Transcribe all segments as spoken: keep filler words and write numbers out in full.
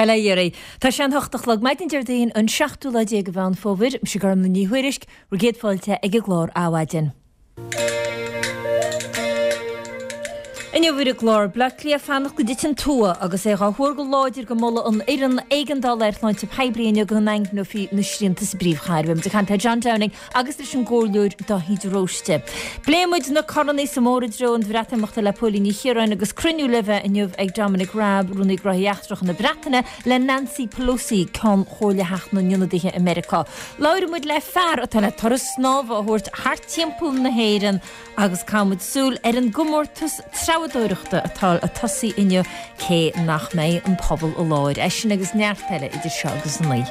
Bail ó Dhia oraibh. Tá sé an hocht a chlog maidin Déardaoin an seachtú lá déag de Mheán Fómhair, mise Gormlaith Ní Thuairisg, bhur gcéad fáilte ag an gclár Adhmhaidin. Inniu ar an gclár, Bleá Cliath fanacht go dtiteann tua agus é dhá thuar go láidir go molfaidh an fhoireann éigeandála ar shláinte poiblí inniu go ndaingneofaí na srianta sa bpríomhchathair. Beidh muid ag caint le John Downing agus leis an gcomhairleoir Dáithí de Róiste. Pléifidh muid na coranna sa mbóthar i dtreo an Bhreatimeachta le Póilín Ní Chiaráin agus cruinniú le bheith inniu ag Dominic Raab, Rúnaí Gnóthaí Eachtracha na Breataine, le Nancy Pelosi, Ceann Chomhairle Theach na nIonadaithe i Meiriceá. Labhróidh muid le fear atá le turas snámha a thabhairt thart timpeall na hÉireann agus caithfidh muid súil ar an gcomórtas treabhadóireachta atá ag tosaí inniu cé nach mbeidh an pobal i láthair. É sin agus neart eile idir seo agus a naoi.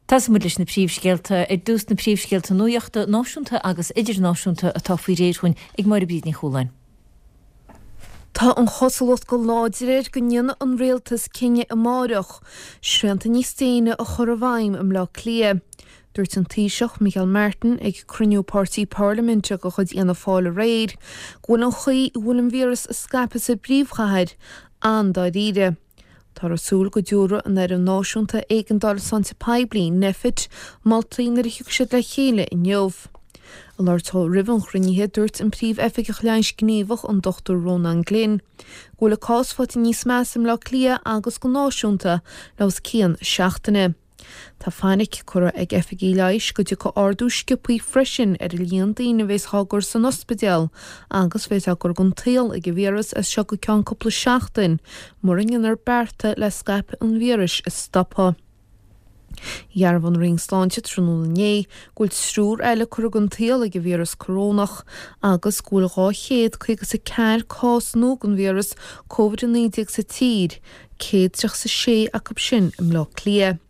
Tosóidh muid leis na príomhscéalta. Ar dtús na príomhscéalta nuachta náisiúnta agus idirnáisiúnta atá faoi réir chugainn ag Máire Bríd Ní Chualáin. Tá an chosúlacht go láidir air go ndéanfaidh an rialtas cinneadh amárach srianta níos déine a chur i bhfeidhm i mBleá Cliath. Dúirt an Taoiseach Micheál Martin ag cruinniú páirtí parlaiminte de chuid Fhianna Fáil aréir go bhfuil an chaoi a bhfuil an víreas ag scaipeadh sa bpríomhchathair an-dáiríre. Táthar ag súil go dtabharfaidh an Fhoireann Náisiúnta Éigeandála Sláinte Poiblí, Nphet, moltaí nuair a thiocfaidh siad le chéile inniu. Ag labhairt dó roimh an chruinnithe, dúirt an Príomh-Oifigeach Leighis Gníomhach, an Dochtúir Rónán Glynn, go bhfuil an cás faighte níos measa i mBleá Cliath agus go náisiúnta le os cionn seachtaine. Tá fainic curtha ag oifigigh leighis go dtiocfaidh ardú sciobthaí freisin ar an líon daoine a bheas á gcur san ospidéal agus bheas á gcur den tsaol ag an víreas as seo go ceann cúpla seachtain mura ndéanfar bearta le scaipeadh an víris a stopadh. Dhearbhaigh an Roinn Sláinte tráthnóna inné go bhfuil triúr eile curtha den tsaol ag an víreas corónach agus go bhfuil dhá chéad caoga is a ceathair cás nua den víreas Covid a naoi déag sa tír, céad tríocha is a sé acu sin i mBleá Cliath.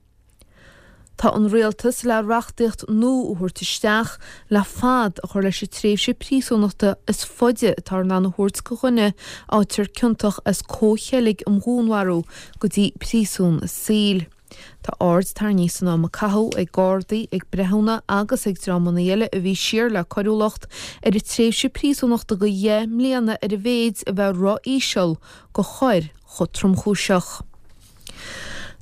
Tá an rialtas le reachtaíocht nua a thabhairt isteach le fad a chur leis an tréimhse príosúnachta is faide atá in ann a thabhairt do dhuine a fhaightear ciontach as comhcheilg um dhúnmharú go dtí príosún a saoil. Tá aird tarraingthe san am a caitheadh ag Gardaí, ag breithiúna agus ag dreamanna eile a bhí siar le coiriúlacht ar an tréimhse príosúnachta de dheich mbliana ar a mhéid a bheith ró-íseal do choir chomh tromchúiseach.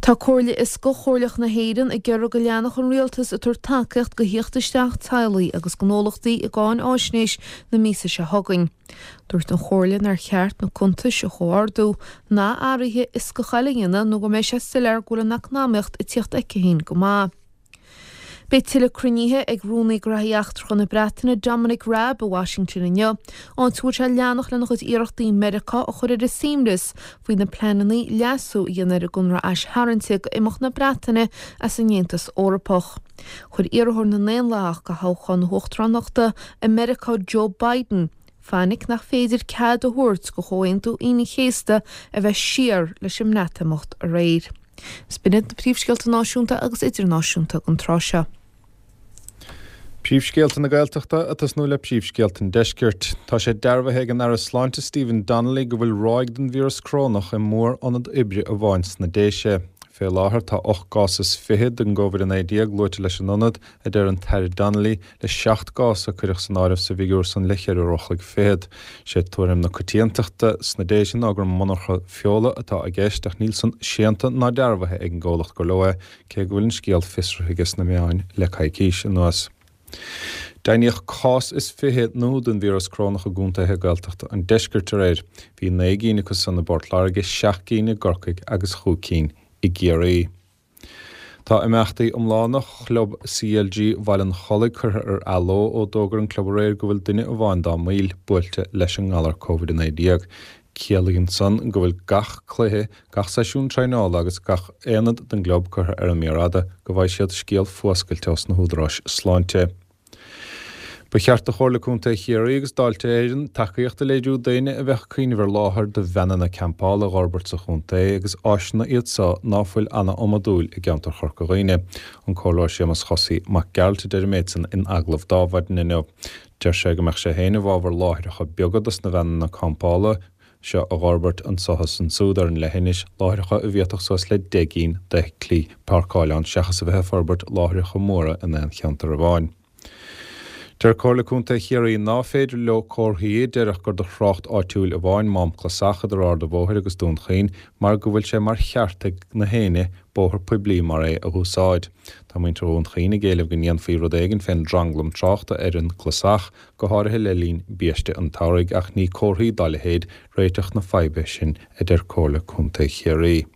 Tá Comhairle Fhioscach Chomhairleach na hÉireann ag iarraidh go leanfadh an rialtas ag tabhairt tacaíocht do thíocht isteach teaghlaigh agus gnólachtaí i gcáinfháisnéis na míosa seo chugainn. Dúirt an Chomhairle nár cheart na cuntais a chomhardú ná athruithe fhioscacha eile a dhéanamh nó go mbeidh sé soiléir go bhfuil an eacnamaíocht ag tíocht aici féin go maith. Beidh tuilleadh cruinnithe ag Rúnaí Gnóthaí Eachtracha na Breataine Dominic Raab i Washington inniu, áit a bhfuil sé ag leanacht lena chuid iarrachtaí Meiriceá a chur ar a suaimhneas faoi na pleananna leasú a dhéanamh ar an gconradh aistharraingte d'imeacht na Breataine as an Aontas Eorpach. Chuir iarrthóir na nDaonlathach do thoghchán na huachtaránachta i Meiriceá Joe Biden fainic nach féidir cead a thabhairt do Chomhaontú Aoine an Chéasta a bheith siar leis an mBreatimeacht aréir. Is b'in iad na príomhscéalta náisiúnta agus idirnáisiúnta don tráth seo. Príomhscéalta na Gaeltachta ag tosnú le príomhscéalta an Deiscirt. Tá sé dearbhaithe ag an Aire Sláinte Stephen Donnelly go bhfuil ráig den víreas corónach i mór-ionad oibre amháin sna Déise. Fé láthair tá ocht gcás is fiche den gCovid a naoi déag luaite leis an ionad, a deir an tAire Donnelly, le seacht gcás a cuireadh san áireamh sa bhfigiúr san le ceithre uair a chloig fichead. Sé tuairim na coitiantachta sna Déise ná gur monarcha feola atá i gceist ach níl san séanta ná dearbhaithe ag an gcomhlacht gur leo é, cé go bhfuil an scéal fiosraithe aige sna meáin le coicís anuas. Deimhníodh cás is fiche nua den víreas corónach i gcontaetha Gaeltachta an Deiscirt aréir. Bhí naoi gcinn acu san i bPort Láirge, seacht gcinn i gCorcaigh agus chúig cinn i gCiarraí. Tá imeachtaí iomlána chlub C L G Bhaile an Chollaigh curtha ar athló ó d'fhógair an club aréir go bhfuil duine amháin dá mbaill buailte leis an ngalar Covid a naoi déag. Ciallaíonn san go bhfuil gach cluiche, gach seisiún traenála agus gach aonad den gclub curtha ar an mír fhada go bhfaighidh siad scéal fuascailte ós na húdaráis sláinte. Ba cheart do Chomhairle Contae Chiarraí agus Dáilte Éireann tacaíocht a léiriú daoine a bheadh cuimhneamh ar láthair do veaineanna campála a dh'fhorbairt sa chontae agus áiseanna iad so ná fuil ana-iomadúil i gceantar Chorca Dhuibhne. An Comhairleoir Séamus Chosaí Mac Gearailt a deir an méid san in agallamh d'Adhmhaidin inniu. Deir sé go mbeadh sé féin i bhfabhar láithreacha beaga dos na veaineanna campála seo a dh'fhorbairt anso is ansúd ar an leithinis, láithreacha a bhféadfadh suas le deich gcinn d'fheithiclí páirceáil ann seachas a bheith ag forbairt láithreacha móra in aon cheantar amháin. Deir Comhairle Contae Chiarraí ná féidir leo comharthaí a déarfadh gur do thrácht áitiúil amháin Mám Clasach idir Ard an Bhóthair agus Dún Chaoin mar go bhfuil sé mar cheart ag na héinne bóthar poiblí mar é a úsáid. Tá muintir Dhún Chaoin ag éileamh go ndéanfaí rud éigin fén dtranglam tráchta ar an gClasach, go háirithe le linn biaiste an tsamhraidh, ach ní comharthaí dá leithéid réiteach na faidhbe sin, a deir Comhairle Contae Chiarraí.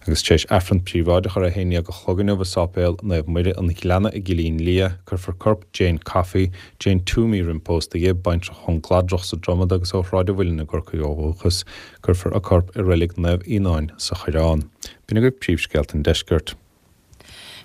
Agus tar éis Aifreann príobháideach ar a haon déag a chlog inniu i Sáipéal Naomh Muire an Ghleanna i gCillín Liath, cuirfear corp Jane Coffey, Jane Toomey roimh pósta di, baintreach ón gCladrach sa Dromad agus ó Shráid an Mhuilinn i gCorcaigh ó dhúchas, cuirfear a corp i Reilig Naomh Fhíonáin sa Choireán. B'in agaibh príomhscéalta an deiscirt.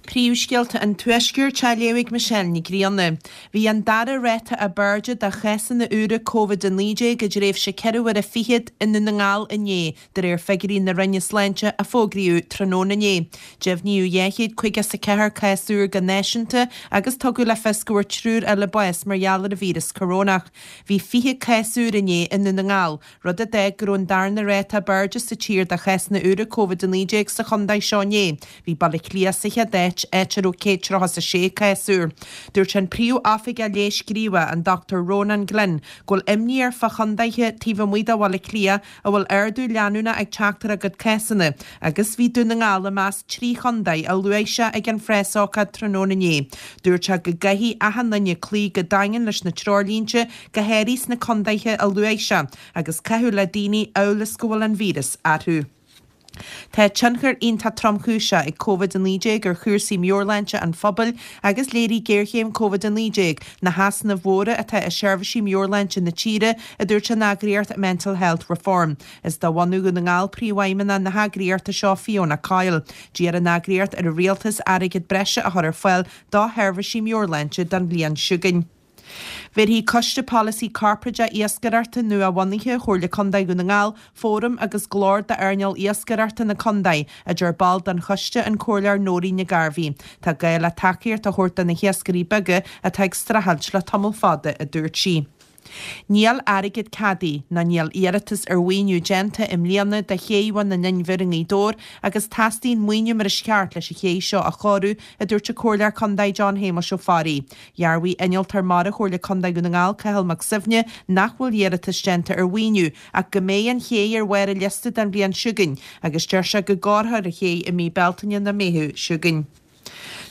Príomhscéalta an Tuaiscirt á léamh ag Michelle Ní Ghrianna. Bhí an dara ráta ab airde de chásanna úra Covid a naoi déag i dtréimhse ceithre huaire fichead i nDún na nGall inné, de réir figiúirí na Roinne Sláinte a fógraíodh tráthnóna inné. Deimhníodh dhá chéad caoga is a ceathair cás úr go náisiúnta agus tugadh le fios go bhfuair triúr eile bás mar gheall ar an víreas corónach. Bhí fiche cás úr inné i nDún na nGall, rud a d'fhág go raibh an darna ráta ab airde sa tír de chásanna úra Covid a naoi déag sa chontae seo inné. Bhí Baile Átha Cliath sa chéad áit, áit a raibh céad tríocha is a sé cás úr. Dúirt an Príomh-Oifigeach Leighis Gníomhach, an Dochtúir Rónán Glynn, go bhfuil imní air fá chontaetha taobh amuigh de Bhaile Átha Cliath a bhfuil ardú leanúnach ag teacht ar a gcuid cásanna, agus bhí Dún na nGall i measc trí chontae a luaigh sé ag an phreasócáid tráthnóna inné. Dúirt sé go gcaithfidh achan duine cloí go daingean leis na treoirlínte, go háirithe sna contaetha a luaigh sé, agus caitheamh le daoine amhail is go bhfuil an víreas orthu. Tá tionchar iontach tromchúiseach ag Covid a naoi déag ar chúrsaí meabhairshláinte an phobail agus léirigh géarchéim Covid a naoi déag na heasnaimh mhóra atá i seirbhísí meabhairshláinte na tíre, a dúirt an eagraíocht Mental Health Reform. Is de bhunadh Dhún na nGall príomhfheidhmeannach na heagraíochta seo, Fiona Coyle. D'iarr an eagraíocht ar an rialtas airgead breise a chur ar fáil do sheirbhísí meabhairshláinte don bhliain seo chugainn. Bhéarfaidh Coiste Polasaí Corparáideach Iascaireachta nua-bhunaithe Chomhairle Contae Dhún na nGall fóram agus glór d'earnáil iascaireachta na contae, a deir ball den choiste, an Comhairleoir Nóirín Nic Gairbhí. Tá gá le tacaíocht a thabhairt do na hiascairí beaga atá ag streachailt le tamall fada, a dúirt sí. Níl airgead ceadaithe ná níl iarratas ar mhaoiniú déanta i mbliana do Ché Bhun an Inbhir i nGaoth Dobhair agus teastaíonn maoiniú mar is ceart leis an ché seo a chóiriú, a dúirt an Comhairleoir Contae John Shéamuis Ó Fearraigh. Dhearbhaigh Innealtóir Mara Chomhairle Contae Dhún na nGall Cathal Mac Suibhne nach bhfuil iarratas déanta ar mhaoiniú ach go mbeidh an ché ar bharr an liosta don bhliain seo chugainn agus deir sé go gcóireofar an ché i mí Bealtaine nó Meitheamh seo chugainn.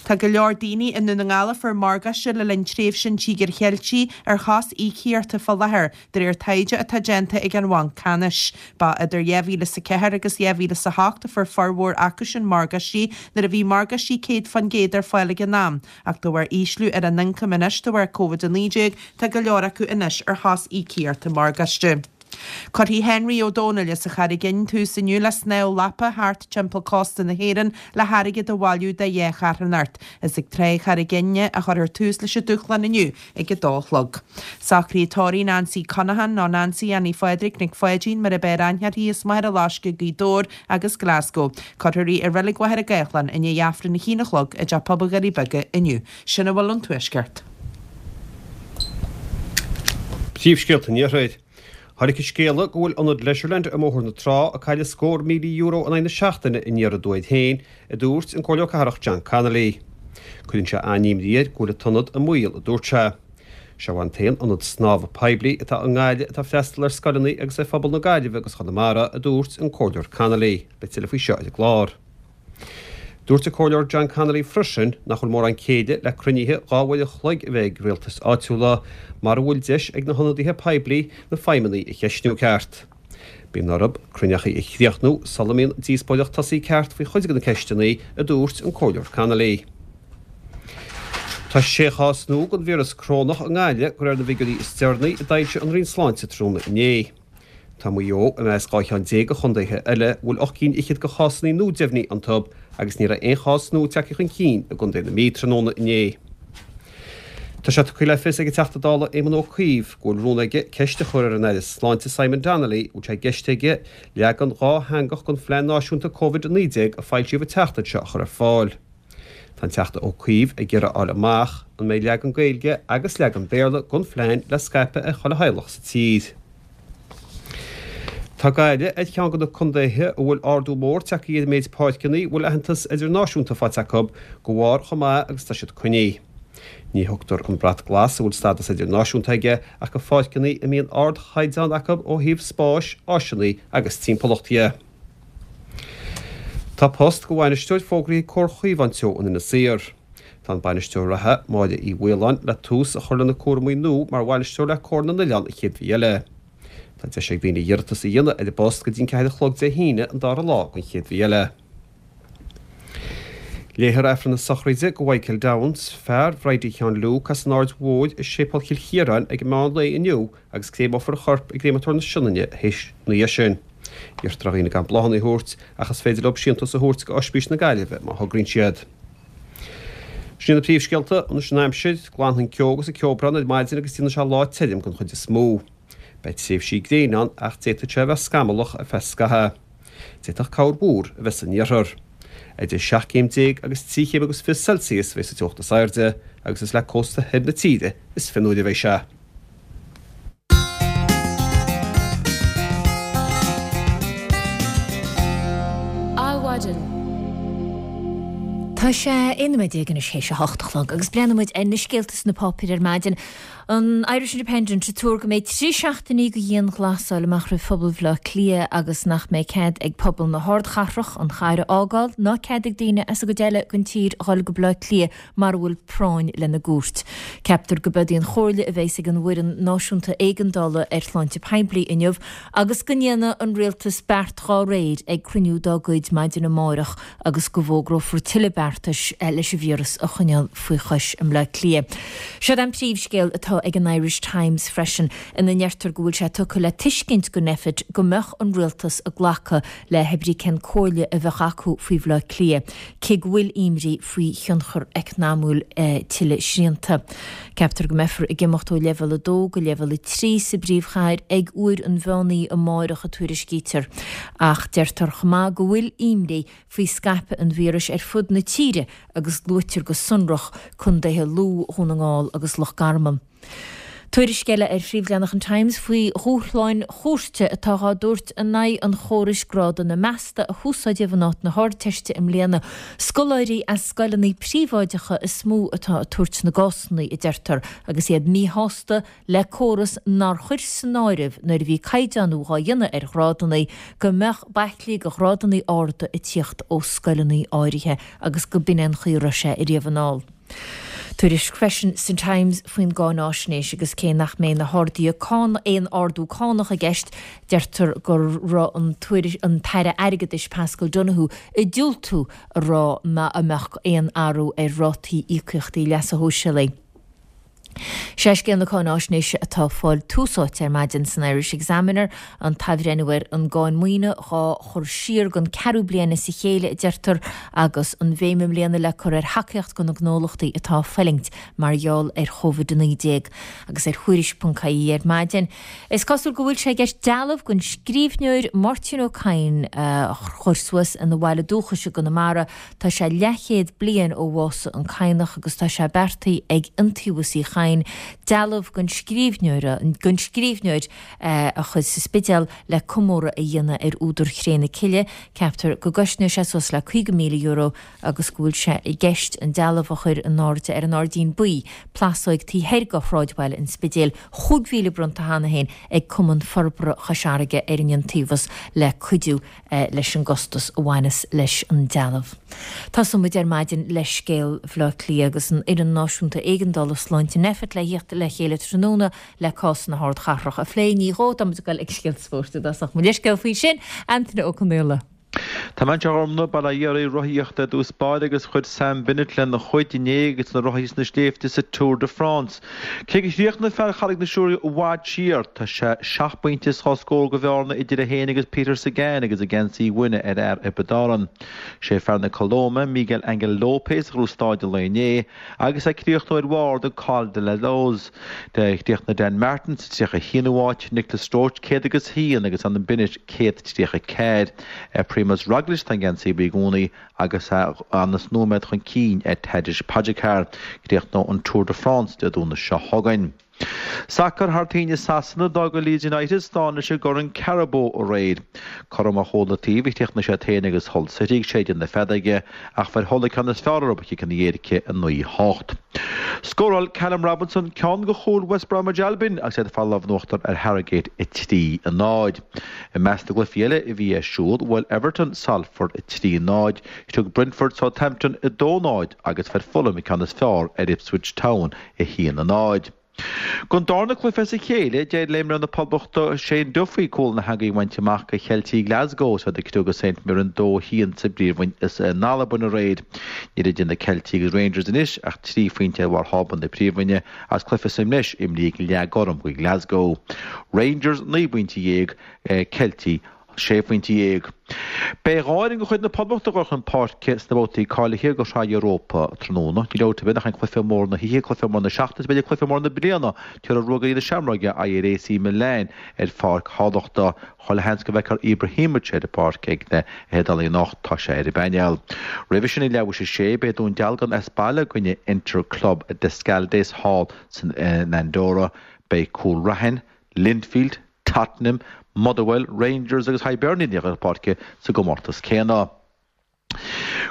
Tá go leor daoine i nDún na nGall a fuair morgáiste le linn tréimhse an Tíogair Cheiltigh ar shos íocaíochta fá láthair, de réir taighde atá déanta ag an Bhanc Ceannais. Ba idir dhá mhíle is a ceathair agus dhá mhíle is a hocht a fuair formhór acusin morgáistí nuair a bhí morgáistí céad faoin gcéad ar fáil ag an am, ach de bharr ísliú ar a n-ioncam anois de bharr Covid a naoi déag, tá go leor acu anois ar shos íocaíochta morgáiste. Cuirfidh Henry Ó Dónaill as an Charraig Fhinn tús inniu le snámh lapa thart timpeall cósta na hÉireann le hairgead a bhailiú do dhá charthanacht. Is ag Trá Charraig Fhinne a chuirfear tús leis an dúshlán inniu ag a dó a chlog. Socraíodh tórraimh Nancy Conaghan nó Nancy Annie Phádraig Nic Pháidín mar ab fhearr aithne uirthi as Machaire Loiscthe, Gaoth Dobhair agus Glasgow. Cuirfear í i Reilig Mhachaire Gathlán i ndiaidh Aifreann a haon a chlog i dTeach Pobail Dhoirí Beaga inniu. Sin a bhfuil ón Tuaisceart. Príomhscéalta an Iarthair. Tháinig an scéala go bhfuil ionad Leisureland i mBóthar na Trá ag cailleadh scór míle euro in aghaidh na seachtaine aniar aduaidh féin, a dúirt an Comhairleoir Cathrach John Connolly. Cuireann sé an-imní air go bhfuil an t-ionad i mbaol, a dúirt sé. Seo an t-aon ionad snámha poiblí atá i nGaillimh atá ag freastal ar scoileanna agus ar phobal na Gaillimhe agus Chonamara, a dúirt an Comhairleoir Connolly. Beidh tuilleadh faoi seo ar an gclár. Dúirt an Comhairleoir John Connolly freisin nach bhfuil mórán céille le cruinnithe dhá uair an chloig a bheith ag rialtais áitiúla mara bhfuil deis ag na hionadaithe poiblí na feidhmeannaigh a cheistniú ceart. Bíonn orthu cruinneachaí a chríochnú sula mbíonn díospóireacht tosaithe ceart faoi chuid de na ceisteanna, a dúirt an Comhairleoir Connolly. Tá sé chás nua den víreas corónach i nGaillimh de réir na bhfigiúirí is deireanaí a d'fhoilsigh an Roinn Sláinte tráthnóna inné. Tá Maigh Eo i measc dhá cheann déag de chontaetha eile a bhfuil ocht gcinn fhichead de chásanna nua deimhnithe iontu agus ní raibh aon chás nua tagtha chun cinn i gcontae na Mí tráthnóna inné. Tá sé tugtha le fios ag an Teachta Dála Éamon Ó Cuív go bhfuil rún aige ceist a chur ar an Aire Sláinte Simon Donnelly an bhfuil sé i gceist aige leagan dhátheangach den Phlean Náisiúnta Covid a naoi déag a foilsíodh an tseachtain seo a chur ar fáil. Tá an Teachta Ó Cuív ag iarraidh a fháil amach an mbeidh leagan Gaeilge agus leagan Béarla den phlean le scaipeadh ar chuile theaghlach sa tír. Tá Gaillimh ar cheann de na contaetha a bhfuil ardú mór tagtha ar an méid páirceanna a bhfuil aitheantas idirnáisiúnta faighte acu de bharr chomh maith agus atá siad coinnithe. Ní thugtar an brat glas a bhfuil stádas idirnáisiúnta aige ach go pháirceanna a mbíonn ardchaighdeán acu ó thaobh spáis, áiseanna agus timpeallachta de. Tá post go bhainisteoir fógraithe ag Comhar Chaomhán Teo in Inis Oírr. Tá an bainisteoir reatha, Máire Uí Mhaoláin, le tús a chur lena cúraimí nua mar bhainisteoir le Comhar na nOileán an chéad mhí eile. Tá deis ag daoine iarratas a dhéanamh ar an bpost go dtí an ceathair a chlog Dé hAoine an dara lá den chéad mhí eile. Léifear Aifreann na sochraide go Mhichael Downes, fear Bhridie Sheáin Luke as an Aird Mhóir i Séipéal Chill Chiaráin ag meán lae inniu agus créamófar a chorp i gcréamatóir na Sionainne ina dhiaidh sin. Iarrtar ar dhaoine gan bláthanna a thabhairt ach is féidir leo síntiús a thabhairt go Ospís na Gaillimhe má thograíonn siad. Sin na príomhscéalta, anois an aimsir, glanfaidh an ceo agus an ceobhrán ar maidin agus déanfaidh sé lá tirim den chuid is mó. Beidh tréimhsí gréine ann ach d'fhéadfadh sé a bheith scamallach ar feadh scaithimh. D'fhéadfadh corrmhúr a bheith san iarthar. Idir seacht gcéim déag agus trí chéim agus fiche Celsius a bheidh sa teocht is airde, agus is le cósta thoir na tíre is fionnuaire a bheidh sé. Adhmhaidin. Tá sé aon nóiméad déag anois théis a hocht a chlog agus breathnóidh muid ar na scéalta sna páipéir ar maidin. An Irish Independent ag tuar go mbeidh trí seachtainí de dhianghlasáil amach roimh phobal Bhaile Átha Cliath agus nach mbeidh cead ag pobal na hardchathrach an chathair a fhágáil ná cead ag daoine as an gcuid eile den tír a dhul go Baile Átha Cliath mara bhfuil práinn lena gcuairt. Ceaptar go bead í an chomhairle a bheas ag an bhFoireann Náisiúnta Éigeandála ar Shláinte Poiblí inniu agus go ndéanfaidh an rialtas beart dhá réir ag cruinniú dá gcuid maidin amárach agus go bhfógrófar tuilleadh beartais leis an víreas a choinneáil faoi chois i mBleá Cliath. Seo an príomhscéal atá ag an Irish Times freisin ina ndeirtear go bhfuil sé tugtha le tuiscint go Nphet go mbeadh an rialtas ag glacadh le hebrí cén comhairle a bheadh acu faoi Bhleá Cliath, cé go bhfuil imní faoi thionchar eacnamúil tuilleadh srianta. Ceaptar go mbeifear ag imeacht ó leibhéal a dó go leibhéal a trí sa bpríomhchathair ag uair an mheán oíche amárach a tuairiscítear. Ach deirtear chomh maith go bhfuil imní faoi scaipeadh an víris ar fud na tíre agus luaitear go sonrach contaetha Lú, Dhún na nGall agus Loch Garman. Tuairisc eile ar phríomhleathanach an Times faoi dhúshláin chúirte atá dhá dtabhairt in aghaidh an chórais grádanna measta a húsáideadh in áit na hArdteiste i mbliana. Scoláirí as scoileanna príobháideacha is mó atá ag tabhairt na gcásanna, a deirtear, agus iad míshásta le córas nár chuir san áireamh nuair a bhí caighdeánú dhá dhéanamh ar ghrádanna go mbeadh baiclí go ghrádanna arda ag tíocht ó scoileanna áirithe agus go b'in é an chaoi a raibh sé ariamh anall. Tuairisc freisin san Times faoin gcáináisnéis agus cé nach mbeidh na harduithe cánach aon ardú cánach i gceist, deirtear go raibh an an tAire Airgeadais Paschal Donohoe ag diúltú a rá má a mbeadh aon athrú ar rátaí íocaíochtaí leasa shóisialaigh. Sé scéal na cáináisnéise atá ag fáil tús áite ar maidin san Irish Examiner, an t-athbhreithniú ar an gcáin maoine dhá chur siar don ceathrú bliain as a chéile, a deirtear, agus an bhéim i mbliana le cur ar thacaíocht do na gnólachtaí atá ag fulaingt mar gheall ar Covid a naoi déag. Agus ar Thuairisc ponc ie ar maidin, is cosúil go bhfuil sé i gceist dealbh den scríbhneoir Máirtín Ó Cadhain a chur suas ina bhaile dúchais i gConamara. Tá sé leathchéad bliain ó bhásaigh an Cadhnach agus tá sé beartaithe ag Iontaobhas Uí Chadhain dealbh den scríbhneoir den scríbhneoir a chur sa Spidéal le comóradh a dhéanamh ar údar Chré na Cille. Ceaptar go gcosnóidh sé suas le caoga míle euro agus go bhfuil sé i gceist an dealbh a chur in airde ar an Airdín Buí, plásóig taobh thoir de shráidbhaile an Spidéil. Chúig mhíle bronnta cheana féin ag Cumann Forbartha Chois Fharraige ar an Iontaobhas le cuidiú leis an gcostas a bhaineas leis an dealbh. Tosóidh muid ar maidin le scéal Bhaile Átha Cliath agus an Fhoireann Náisiúnta Éigeandála Sláinte Nphet le thíocht le chéile tráthnóna le cás na hardchathrach a phlé. Ní dhó, tá muid ag dul ag scéalta spóirt i dtosach. Mo leithscéal faoi sin, Antaine Ó Conaola. Tá mé anseo a Ghormfhlaith, bail ó Dhia oraibh, rothaíocht ar dtús báire agus chuir Sam Bennett lena chuid inné agus na rothaí sna sléibhte sa Tour de France. Cé gur chríochnaigh fear Charraig na Siúire i bhfad siar, tá sé seacht bpointe is dhá scór de bhearna idir é féin agus Peter Sagan agus an geansaí uaine ar fhear Thiobraid Árann. Sé fear na Colóime, Miguel Angel Lopez a ghnóthaigh stáid an lae inné agus é ag críochnú ar bharr den Col de la Loze. Chríochnaigh Dan Martin sa tríocha haonú háit, Nicolas Roche céad agus haon agus Adam Bennett céad tríocha ceathair. Ar Primoz Roglic tá an geansaí buí i gcónaí agus é anas nóiméad chun cinn ar Tadej Pogacar. Críochnóidh an Tour de France Dé Domhnaigh seo chugainn. Sacar thar toinn i Sasana, d'fhág Leeds United slán leis an gCorn Carabao aréir. Cothrom ar chúl na taobh a chríochnaigh siad féin agus Hull City ag séideadh na feadóige ach fuair Hull an ceann is fearr orthu ciceanna éirice a naoi hocht. Scóráil Callum Robinson ceann de chúil West Bromwich Albion agus iad ag fáil lámh in uachtar ar Harrogate a trí a náid. I measc na gcluichí eile a bhí ar siúl, bhuail Everton Salford a trí náid, thug Brentford Southampton a dó náid agus fuair Fulham an ceann is fearr ar Ipswich Town a haon a náid. Don darna cluiche as a chéile, d'éirigh le imreoir na Poblachta Shane Duffy cúl na heangaí a bhaint amach do Cheiltigh Glasgow is iad ag criogadh St Mirren dó haon sa bPríomhroinn in Albain aréir. Níl idir na Ceiltigh agus Rangers anois ach trí phointe ar bharr thábla na Príomhroinne agus cluiche sa mbreis imrithe ag Leath Gorm do Glasgow. Rangers naoi bpointe dhéag, Ceiltigh sé phointe dhéag. Beidh dhá fhoireann de chuid na Poblachta ag dul chun páirce sna babhtaí cáilithe do Shraith Europa tráthnóna. Níl dabht ar bith nach é cluiche mór na hoíche, cluiche mór na seachtaine is b'fhéidir cluiche mór na bliana, tabharfaidh Ruagairí na Seamróige aghaidh ar AC Milan ar Pháirc Thamhlachta. Chuile sheans go bhfeicfear Ibrahimovic ar an bpáirc ag na hIodálaigh anocht, tá sé ar an bpainéal. Roimhe sin ag leathuair tar éis a sé, beidh Dún Dealgan as baile i gcoinne Inter Club d'Escaldes thall san Andorra. Beidh Cúil Raithin, Linfield, Tottenham, Motherwell, Rangers agus Hibernian ag dul chun páirce sa gcomórtas céanna.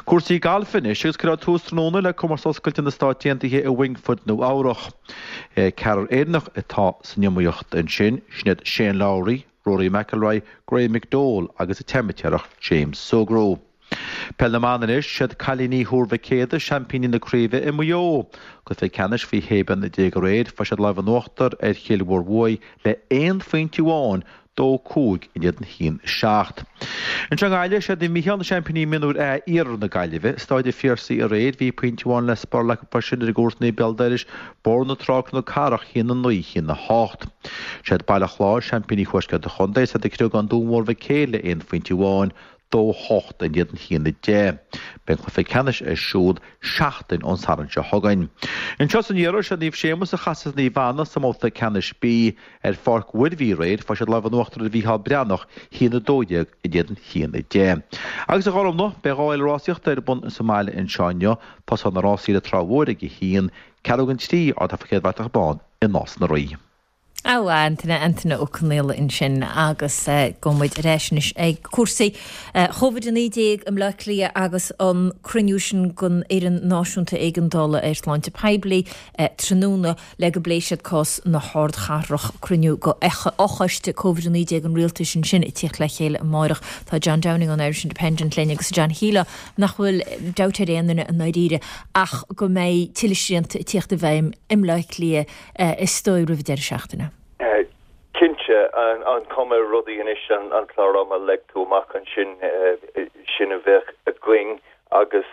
Cúrsaí gailf anois agus cuirfear tús tráthnóna le Comórtas Oscailte na Stát Aontaithe i Wingfoot, Nua Eabhrach. Ceathrar Éireannach atá san iomaíocht ansin, sin iad Shane Lowry, Rory McIlroy, Graham McDowell agus an t-amaitéarach James Sugrue. Peil na mBan anois, siad cailíní Thuar Mhic Éadaigh seaimpíní na craoibhe i Maigh Eo. Cluiche ceannais faoi shé bliana déag aréir, fuair siad lámh in uachtar ar Chill Mhór le aon phointe amháin, dó cúig in éadan haon seacht. Anseo i nGaillimh, siad Naomh Mícheál na seaimpíní mionúir A Iarthar na Gaillimhe. Staid an Phiarsaigh aréir, bhí pointe amháin le spalradh acu freisin ar a gcomharsana béal dorais, Bóthar na Trá Cnoc Cathrach, haon a naoi, haon a hocht. Siad Baile Chláir seaimpíní Thuaisceart an Chontae, is iad ag criogadh an Dún Mór Mhic Éil le aon phointe amháin, dó hocht in éadan haon a deich. Beidh an cluiche ceannais ar siúl seachtain ón Satharn seo chugainn. Anseo san iarthar, siad Naomh Séamus a chasfas Naomh Anna sa mbabhta ceannais B ar Pháirc Mhuirbhigh aréir. Fuair siad lámh in uachtar ar Mhícheál Breathnach, haon a dó dhéag in éadan haon a deich. Agus a Ghormfhlaith, beidh dhá fhéile rásaíochta ar bun sa mbaile anseo inniu. Tosóidh na rásaí le Trá Mhór ag a haon, ceathrú don trí, Ardharfa Chéad Bhratach Bán i Nás na Rí. Á, Antaine, Antaine Ó Conaola ansin agus gabhfaidh muid ar ais anois ag cúrsaí Covid a naoi déag i mBleá Cliath agus an cruinniú sin den Fhoireann Náisiúnta Éigeandála ar Shláinte Poiblí tráthnóna le go bpléifidh siad cás na hardchathrach. Cruinniú de fhochoiste Covid a naoi déag an rialtais ansin ag tíocht le chéile amáireach. Tá John Downing ón Irish Independent linn agus John shílfeá nach bhfuil dabht ar aon duine i ndáiríre ach go mbeidh tuilleadh srianta ag tíocht i bhfeidhm i mBleá Cliath is dóigh roimh deireadh seachtaine. Cinnte, an chuma ar rudaí anois, an clár ama a leag tú amach ansin, sin a bheadh againn agus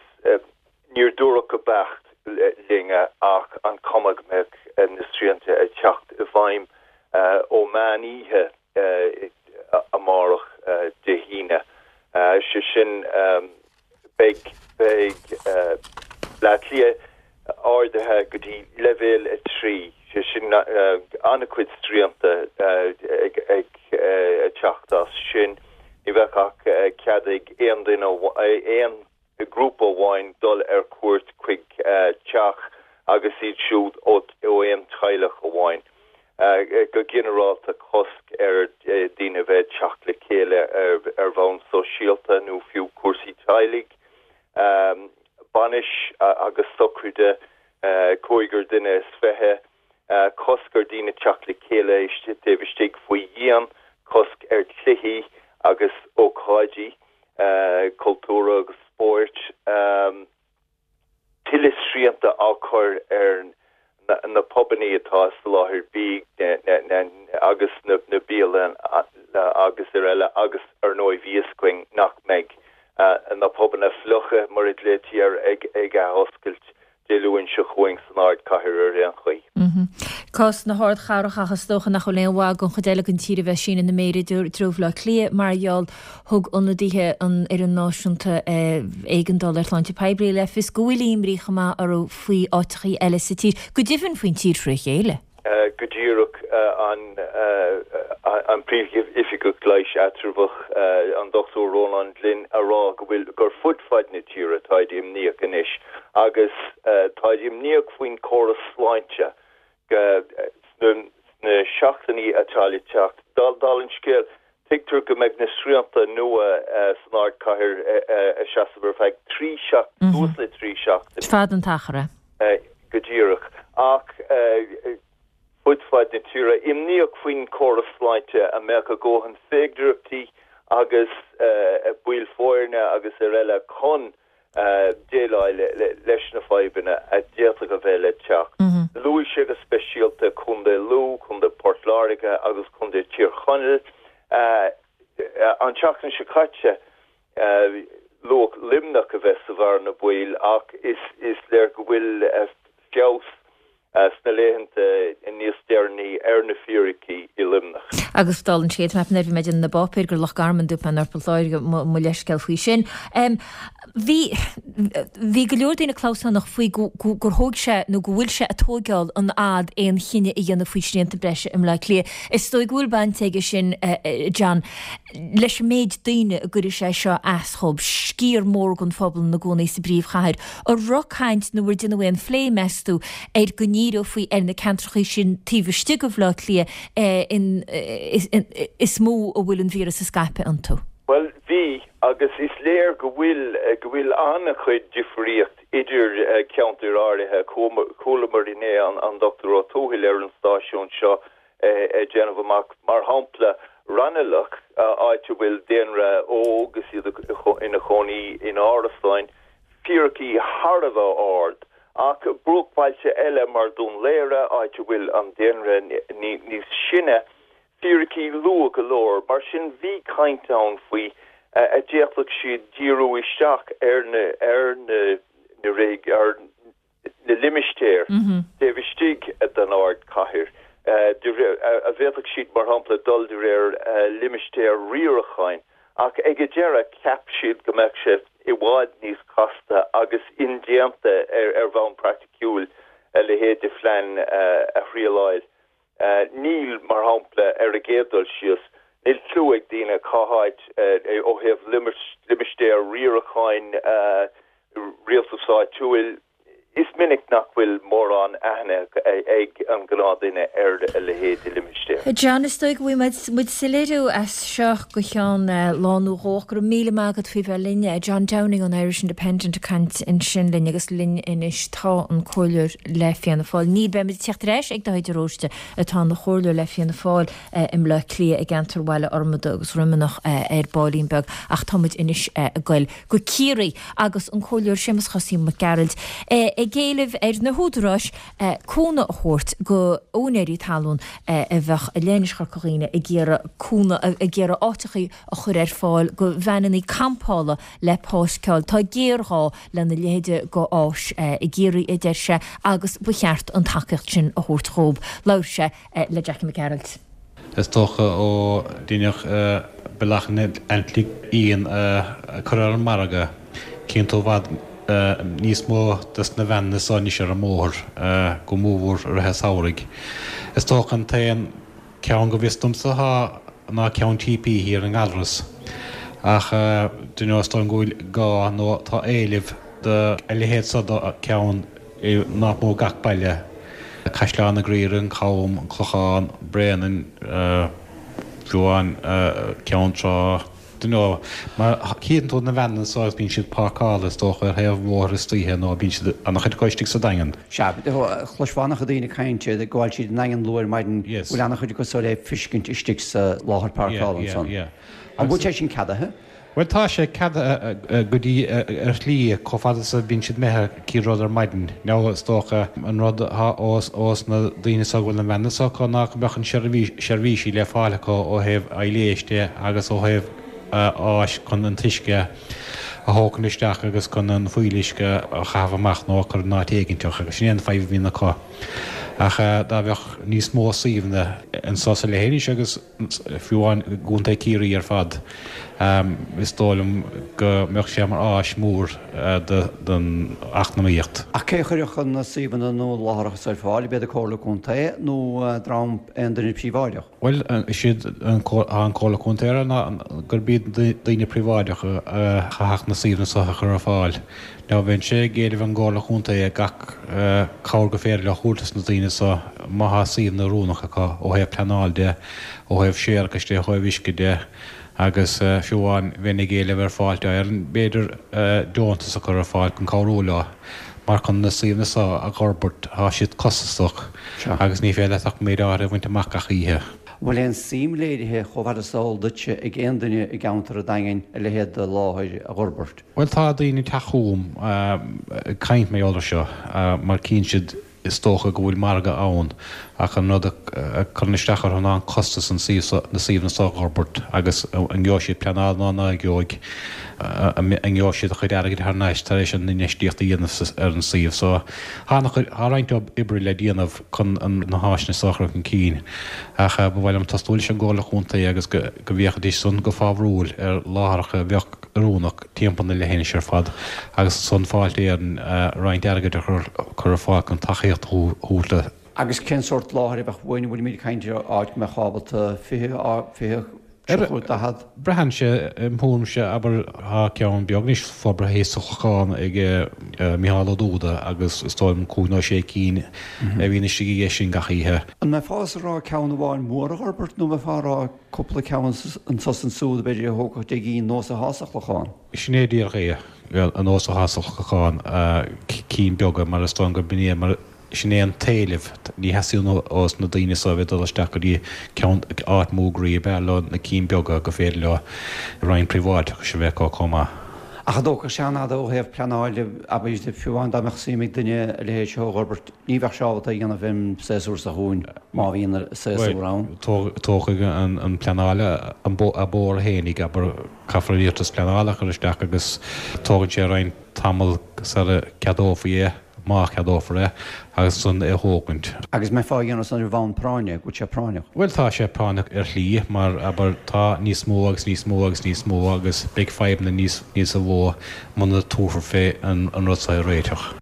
níor dúradh go beacht linn ach an chuma go mbeadh na srianta ag teacht i bhfeidhm ó mheán oíche amárach, Dé hAoine. Sé sin, beidh beidh Bleá Cliath ardaithe go dtí leibhéal a trí, sé sin an-chuid srianta ag teacht as sin. Ní bheadh ach cead ag aon duine, aon ghrúpa amháin dul ar cuairt chuig teach agus iad siúd ó aon teaghlach amháin. Go ginearálta cosc ar daoine bheith ag teacht le chéile ar bhonn sóisialta nó fiú cúrsaí teaghlaigh, bainis agus sochraide, cúigear duine is fiche, cosc ar daoine teacht le chéile taobh istigh faoi dhíon, cosc ar chluichí agus ócáidí cultúrtha agus spóirt. Tuilleadh srianta á chur ar na pubannaí atá ag soláthar bídh agus na bialanna agus araile agus ar ndóigh bhí fhios againn nach mbeidh na pubanna fliucha mar a ghlaoití air ag athoscailt Dé Luain seo chugainn san ardchathair ar aon chaoi. Cás na hardchathrach ach is dócha nach bhfuil aon mhaith don chuid eile den tír a bheith ag síneadh na méire i dtreo Bhaile Átha Cliath mar gheall thug ionadaithe an Fhoireann Náisiúnta Éigeandála ar Shláinte Poiblí le fios go bhfuil imní chomh maith orthu faoi áiteachaí eile sa tír, go deimhin faoin tír fré chéile. Go díreach, an Príomhoifigeach Leighis Eatramhach, an Dochtúir Rónán Glynn, a rá go bhfuil, gur fud fad na tíre táid imníoch anois agus táid imníoch faoin córas sláinte sna seachtainí atá le teacht. Dála an scéil, Tuigtear go mbeidh na srianta nua san ardchathair ag seasamh ar feadh trí seachtaine, suas le trí seachtaine. Is fada an t-achar é. Go díreach. Ach fud fad na tíre, imníoch faoin córas sláinte an mbeadh a ndóthain féidearthachtaí agus baill foirne agus araile chun déileáil leis na fadhbanna a d'fhéadfadh a bheith le teacht. Luaigh sé go speisialta Contae Lú, Contae Port Láirge agus Contae Thír Chonaill. An tseachtain seo caite, luadh Luimneach a bheith sa bhearna baoil ach is léir go bhfuil feabhas sna laethanta níos deireanaí ar na fíricí i Luimneach. Agus dála an scéil, nuair a bhí mé ag déanamh na bpáipéar gur Loch Garman dúirt mé nár Port Láirge, mo leithscéal faoi sin. Bhí bhí go leor daoine clamhsánach faoi gur thóg sé nó go bhfuil sé ag tóigeáil an fhad aon chinneadh a dhéanamh faoi shrianta breise i mBleá Cliath. Is dóigh go bhfuil baint aige sin, John, leis an méid daoine a gcuirfidh sé seo as dhóibh, sciar mór den phobal ina gcónaí sa bpríomhchathair. An raibh caint nó ar déanadh aon phlé, meas tú, ar go ndíreofaí ar na ceantracha sin taobh istigh de Bhleá Cliath is mó a bhfuil an víreas ag scaipeadh iontu? Bhuel, bhí, agus is léir go bhfuil, go bhfuil an-chuid difríocht idir ceantair áirithe. Chualamar inné an Dochtúir Ó Tuathail ar an stáisiún seo ag déanamh amach, mar shampla, Raghnallach, áit a bhfuil daonra óg is iad ina chónaí in árasáin, fíricí thar a bheith ard, ach bruachbhailte eile mar Dún Laoghaire, áit a bhfuil an daonra níos sine, fíricí luath go leor. Mar sin, bhí caint ann faoi a d'fhéadfadh siad díriú isteach ar na ar na ar na limistéir taobh istigh den ardchathair, a bhféadfadh siad, mar shampla, dul de réir limistéir riaracháin, ach ag an deireadh cheap siad go mbeadh sé i bhfad níos casta agus indéanta ar bhonn praiticiúil a leithéid de phlean a thrialáil. Níl, mar shampla, ar an gcéad dul síos, níl cliú ag daoine cá háit ó thaobh limistéir riaracháin rialtas áitiúil, is minic nach bhfuil mórán aithne ag an gnáthdhuine ar a leithéid de limistéar. John, is dóigh go bhfaighidh muid soiléiriú as seo go ceann lá nó dhó ach go raibh míle maith agat faoi bheith linn. John Downing ón Irish Independent ag caint ansin linn agus linn anois tá an comhairleoir le Fianna Fáil. Ní beimid ag teacht ar ais ag Daithí de Róiste atá ina chomhairleoir le Fianna Fáil i mBleá Cliath i gceantar Bhaile Fhormada agus Dhroimeanach ar baillín beag ach tá muid anois ag goil go Ciarraí agus an Comhairleoir Séamus Chosaí Mac Gearailt ag éileamh ar na húdaráis cúnamh a thabhairt go úinéirí talún a bheadh i Leithinis Chorca Dhuibhne ag iarraidh cúnamh ag iarraidh áiteachaí a chur ar fáil go veaineannaí campála le páirceáil. Tá géarghá lena leithéide go áis i gCiarraí a deir sé agus ba cheart an tacaíocht sin a thabhairt dhóibh. Labhair sé le Jackie Mac Gearailt. Is dócha ó deineadh Bealach an Aitlintigh Fhiáin a chur ar an margadh, cíonn tú i bhfad níos mó des na veaineanna so anois ar an mbóthar, go mórmhór i rith an tsamhraidh. Is dócha an t-aon ceann go bhfios domsa atá ná ceann TP thiar i nGallarus. Ach do you know is dóigh liom go bhfuil gá nó tá éileamh do a leithéid so do ceann i nach mór gach baile, Caisleán an Ghriaire, an Cam, an Clochán, Bréanainn, fiú amháin Ceann Trá, do you know, mar cíonn tú na veaineanna so agus bíonn siad páirceáilte is dócha ar thaobh an bhóthair istoíche nó bíonn siad an-chuid acu istigh sa Daingean. Sea, chloisfeá an-chuid daoine ag caint ag gabháil tríd an nDaingean luath ar maidin, bhfuil an-chuid acu so le feiscint istigh sa láthair páirceála ansan. An bhfuil sé sin ceadaithe? Bhuel tá sé ceadaithe go dtí ar shlí chomh fada is a bhíonn siad imithe cén rud ar maidin. Now is dócha an rud atá ós ós na daoine so go bhfuil na veaineanna so acu ná go mbeadh an seirbhísí le fáil acu ó thaobh aeiléis de agus ó thaobh áis chun an t-uisce a thógaint isteach agus chun an fuíolluisce a chaitheamh amach nó a chur in áit éiginteach agus sin é an fadhb a bhíonn acu. Ach dá bheadh níos mó suíomhanna anso sa leithinis agus fiú amháin i gContae Chiarraí ar fad, is dóigh liom go mbeadh sé mar áis mhór don eacnamaíocht. Ach cé a chuirfeadh na suíomhanna nó na láithreacha so ar fáil, ab iad an Comhairle Contae nó dream aon duine príobháideach? Bhuel, is iad an Comhairle Contae a rá ná gurb iad daoine príobháideacha a chaithfeadh na suíomhanna so a chur ar fáil. Now bheinnse ag éileamh an gComhairle Chontae gach cabhair gur féidir leo a thabhairt dos na daoine daoine so má thá suíomhanna oiriúnach acu ó thaobh pleanáil de, ó thaobh séarachais de, ó thaobh uisce de agus fiú amháin bheinn ag éileamh ar Fáilte Éireann b'fhéidir deontas a chur ar fáil chun cabhrú leo mar chun na suíomhanna so a dh'fhorbairt thá siad costasach agus ní féidir leat ach méid áirithe a bhaint amach gach oíche. An bhfuil aon suim léirithe chomh fada is eol duitse ag aon duine i gceantar an Daingin a leithéid de láthair a dh'fhorbairt? Bhuel tá daoine ag teacht chugam ag caint mar gheall air seo mar cíonn siad is dócha go bhfuil margadh ann ach an rud a chuireann isteach orthu ná an costas an suíomh so, na suíomhanna so a dh'fhorbairt agus an ngeobhaidh siad pleanáil nó ná geobhaidh, an ngeobhaidh siad a chuid airgid thar n-ais tar éis an infheistíocht a dhéanamh ar an suíomh. So tá an-chuid, tá roinnt oibre le déanamh chun na háiseanna so a chur chun cinn ach ba mhaith liom tosnú leis an gComhairle Chontae agus go bhféachfaidís san go fábhrúil ar láithreacha a bheadh oiriúnach timpeall na leithinise ar fad agus ansan Fáilte Éireann roinnt airgid a chur ar fáil chun tacaíocht a thabhairt le Agus cén sórt láthair a bheadh uainn? An bhfuilimid ag caint ar áit go mbeadh ábalta fiche, fiche, tríocha, daichead? Braitheann sé, im thuairimse, abair, tá ceann beag anois forbartha thíos sa Chlochán ag Micheál Ó Dúda agus is dóigh liom cúig nó sé cinn a bhíonn istigh aige sin gach oíche. An mbeifeá ag rá ceann amháin mór a dh'fhorbairt nó an mbeifeá ag rá cúpla ceann anso is ansúd b'fhéidir a thógfadh deich gcinn nós atá sa Chlochán? Sin é díreach é, an nós atá sa Chlochán, cinn beaga mar is dóigh gurb in é mar sin é an t-éileamh. Ní theastaíonn ós na daoine so a bheith ag dul isteach go dtí ceann, áit mór groí, b'fhearr leo na cinn beaga gur féidir leo roinnt príobháideachais a bheith acu chomh maith. Ach an dtógfadh sé an-fhada ó thaobh pleanáil de, abair, fiú amháin dá mbeadh suim ag duine a leithéid seo a dh'fhorbairt, ní bheadh sé ábalta é a dhéanamh an séasúr seo chugainn, má bhíonn séasúr ann. Tógfaidh an pleanáil a bóthar fhéinig, abair, caithfear an iarratas pleanála a chur isteach agus tógann sé roinnt tamall sara ceadófaí é. má cheadófar é, agus ansan é a thógaint. Agus mbeifeá á dhéanamh san ar bhonn práinne, go bhfuil sé práinneach? Bhuel, tá sé práinneach ar shlí, mar, abair, tá níos mó agus níos mó agus níos mó agus beidh fadhbanna níos, níosa mhó muna dtabharfar fé an rud seo a réiteach.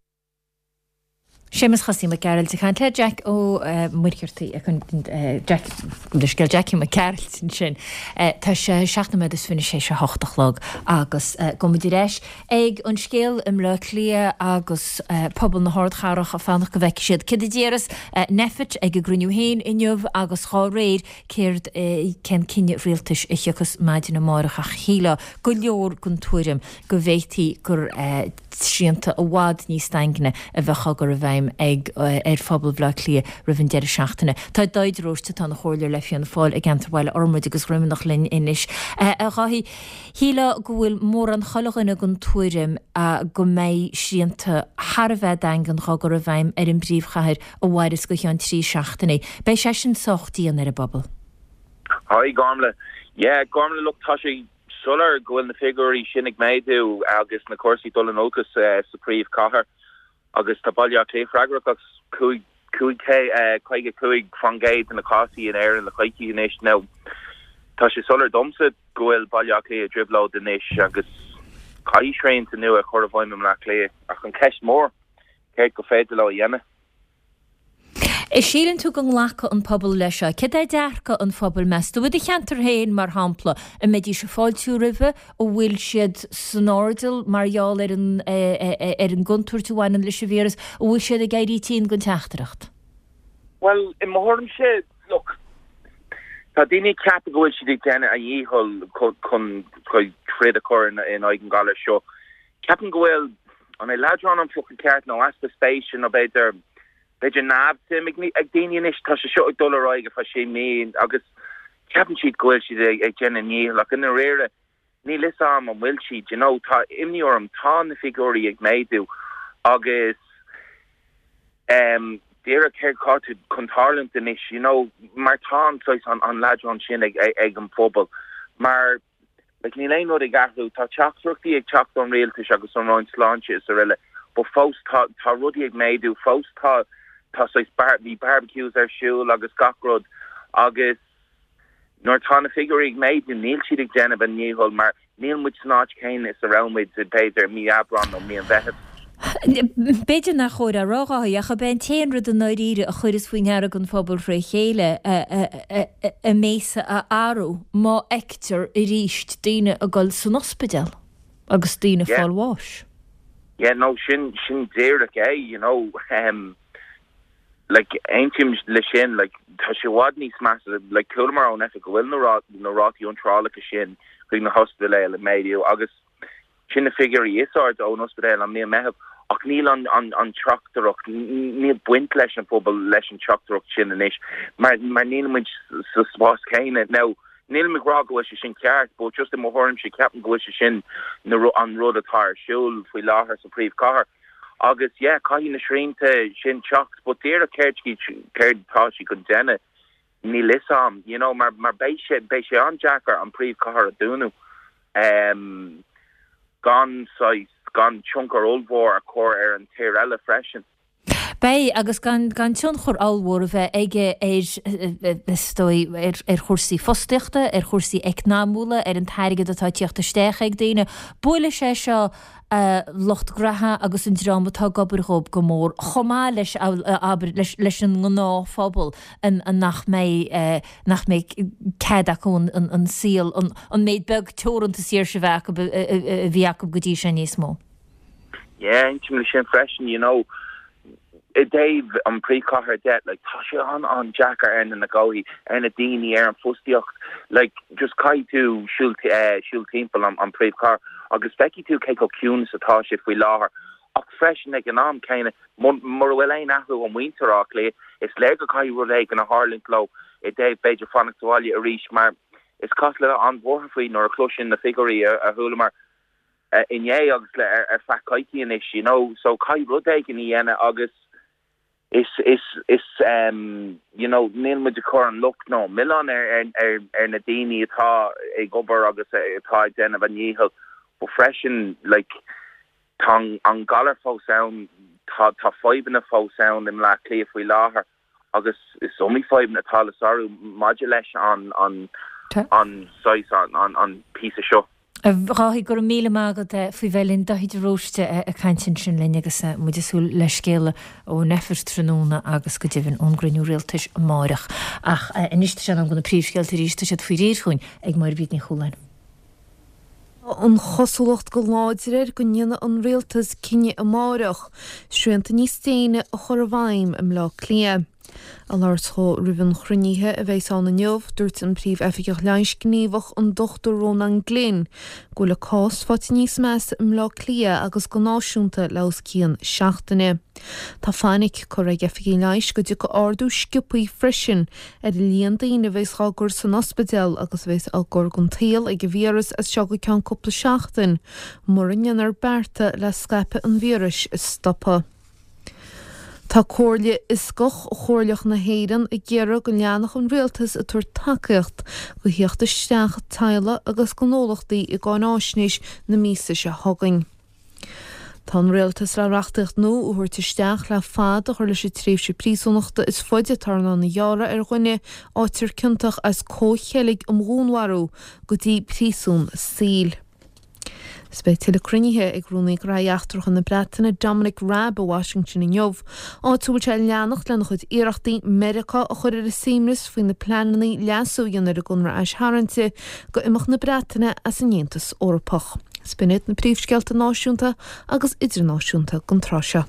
Séamus Chosaí Mac Gearailt ag caint le Jack Ó Muircheartaigh, Jack, leithscéal, Jackie Mac Gearailt ansin. Tá sé seacht nóiméad is fiche théis a hocht a chlog agus gabhfaidh muid ar ais ag an scéal i mBleá Cliath agus pobal na hardchathrach ag fanacht go bhfeicfidh siad céard a déarfas Nphet ag a gcruinniú féin inniu agus dhá réir céard cén cinneadh rialtais a thiocfas maidin amárach ach shílfeá go leor den tuairim go bhféadfaí gur srianta i bhfad níos daingne a bheadh á gcur i bhfeidhm ag ar phobal Bhaile Átha Cliath roimh an deireadh seachtaine. Tá Dáithí de Róiste atá ina chomhairleoir le Fianna Fáil i gceantar Bhaile Fhormaid agus Dhroimeanach linn anois. A Dháithí, shílfeá go bhfuil mórán chuile dhuine den tuairim go mbeidh srianta thar a bheith daingean dhá gcur i bhfeidhm ar an bpríomhchathair a mhairfeas go cheann trí seachtainí. Beidh sé sin sách dian ar an bpobal. Hi Gormlaith. Yeah Gormlaith, look tá sé soiléir go bhfuil na figiúirí sin ag méadú agus na cúrsaí dul in olcas sa phríomhchathair agus tá Baile Átha Cliath freagrach as cúig cúig caoga cúig faoin gcéad de na cásaí in Éirinn le coicís anois. Now tá sé soiléir domsa go bhfuil Baile Átha Cliath i dtrioblóid anois agus caithfidh srianta nua a chur i bhfeidhm i mBleá Cliath ach an cheist mór céard go féidir leo a dhéanamh? An síleann tú go nglacfaidh an pobal leis seo? Céard é dearcadh an phobail, meas tú? I do cheantar féin, mar shampla, an mbeidís ag fáiltiú roimhe? An bhfuil siad san airdeall mar gheall ar an ar an gcontúirt a bhaineann leis an víreas? An bhfuil siad ag éirí tinn den teachtaireacht? Bhuel, i mo thuairimse, look, tá daoine ag ceapadh go bhfuil siad ag déanamh a ndícheall chun troid a chur in aghaidh an ghalair seo. Ceapaim go bhfuil, an é leadrán an focal ceart nó easpa spéise nó b'fhéidir, b'fhéidir neamhsuim ag daoine anois. Tá sé seo ag dul ar aghaidh ar feadh sé mí agus ceapann siad go bhfuil siad ag déanamh a ndícheall ach i ndáiríre níl fhios a'm an bhfuil siad, you know. Tá imní orm, tá na figiúirí ag méadú agus em díreach céard atá chun tarlúint anois, you know, mar tá an saghas an leadrán sin ag ag an phobal mar Like níl aon rud ag athrú, tá teachtaireachtaí ag teacht ón rialtas agus ón Roinn Sláinte is araile but fós tá tá rudaí ag méadú, fós tá tá saghas bar bhí barbecues ar siúl agus gach rud agus nuair atá na figiúirí ag méadú níl siad ag déanamh a ndícheall mar níl muid san áit chéanna is a raibh muid b'fhéidir mí Aibreán nó mí an Mheithimh. B'fhéidir nach chóir a rá, a Dháithí, ach ab é an t-aon rud i ndáiríre a chuireas faoi ndeara don phobal fré chéile a mbéasa a athrú má fheictear arís daoine ag dul san ospidéal agus daoine ag Yeah. fáil bháis. Yeah, no, sin, sin díreach é, you know. Um, Like, aontaím le sin, like, tá sé i bhfad níos measa, like, chualamar ón oifig go bhfuil na rá, na rátaí iontrálacha sin chuig na hospidéil ag méadú agus sin na figiúirí is airde ón ospidéal an mí Meitheamh ach níl an, an, an teachtaireacht, níl baint leis an phobal leis an teachtaireacht sin anois mar, mar níl muid sa spás céanna. Now, nílim ag rá go bhfuil sé sin ceart, but just i mo thuairimse ceapaim go bhfuil sé sin na, an rud atá ar siúl faoi láthair sa phríomhchathair. Agus yeah, caithfidh na srianta sin teacht, but díreach céard céard atá siad chun déanamh, níl fhios a'm, you know, mar mar beidh sé beidh sé an-deacair an príomhchathair a dúnadh um, gan saghas gan tionchar ollmhór a chur ar an tír eile freisin. Beidh, agus gan gan tionchar ollmhór a bheith aige ar, is dóigh, ar ar chúrsaí fostaíochta, ar chúrsaí eacnamúla, ar an t-airgead atá ag tíocht isteach ag daoine. Buailfidh sé seo lucht graithe agus an dream atá ag obair dhóibh go mór, chomh maith leis, abair, leis leis an ngnáthphobal an nach mbeidh nach mbeidh cead acu an an saol, an an méid beag teoranta saoirse a bheith acu a bhí acu go dtí seo níos mó. Yeah, aontaím leis sin freisin, you know. I dtaobh an príomhchathair de, like, tá sé an an-deacair ar na gnóthaí, ar na daoine, ar an fostaíocht, like, just caithfidh tú siúl eh, siúl timpeall an, an príomhchathair agus feicfidh tú cé chomh ciúin is atá sé faoi láthair. Ach freisin ag an am céanna, mura bhfuil aon athrú ó mhuintir Átha Cliath, is léir go caithfidh rud éigin a tharlúint leo i dtaobh b'fhéidir fanacht sa bhaile arís mar is cosúil le bheith an-bhuartha faoi nuair a chloiseann na figiúirí a, a chualamar inné agus le ar feadh coicíse anois, you know, so caithfidh rud éigin a dhéanamh agus is is is um, you know, níl muid ag cur an locht nó milleán ar ar ar ar na daoine atá ag obair agus atá ag déanamh a ndícheall, but freisin like tá an galar fós ann, tá tá fadhbanna fós ann i mBleá Cliath faoi láthair agus is iomaí fadhbanna atá le sárú maidir leis an an an saghas an an an píosa seo. A Dháithí, go raibh míle maith agat faoi bheith linn. Dáithí de Róiste ag caint ansin linn agus muid ag súil le scéala ón Aifreann tráthnóna agus go deimhin ón gcruinniú rialtais amáireach. Ach anois tá sé in am do na príomhscéalta arís, tá siad faoi réir chugainn ag Máire Bríd Ní Chualáin. Tá an chosúlacht go láidir air go ndéanfaidh an rialtas cinneadh amáireach srianta níos déine a chur i bhfeidhm i mBleá Cliath. Ag labhairt dhó roimh an chruinnithe a bheas ann inniu, dúirt an Príomh-Oifigeach Leighis Gníomhach an Dochtúir Rónán Glynn go bhfuil an cás faighte níos measa i mBleá Cliath agus go náisiúnta le os cionn seachtaine. Tá fainic curtha ag oifigigh leighis go dtiocfaidh ardú sciobthaí freisin ar an líon daoine a bheas á gcur san ospidéal agus a bheas á gcur den tsaol ag an víreas as seo go ceann cúpla seachtain mura ndéanfar bearta le scaipeadh an víris a stopadh. Tá Comhairle Fhioscach Chomhairleach na hÉireann ag iarraidh go leanfadh an rialtas ag tabhairt tacaíocht do theacht isteach teaghlaigh agus gnólachtaí i gcáináisnéis na míosa seo chugainn. Tá an rialtas le reachtaíocht nua a thabhairt isteach le fad a chur leis an tréimhse príosúnachta is faide atá in ann a ghearradh ar dhuine a fhaightear ciontach as comhcheilg um dhúnmharú go dtí príosún saoil. Is beidh tuilleadh cruinnithe ag Rúnaí Gnóthaí Eachtracha na Breataine Dominic Raab i Washington inniu, áit a bhfuil sé ag leanacht lena chuid iarrachtaí Meiriceá a chur ar a suaimhneas faoi na pleananna leasú a dhéanamh ar an gconradh aistarraingte go imeacht na Breataine as an Aontas Eorpach. Is b'in iad na príomhscéalta náisiúnta agus idirnáisiúnta don tráth seo.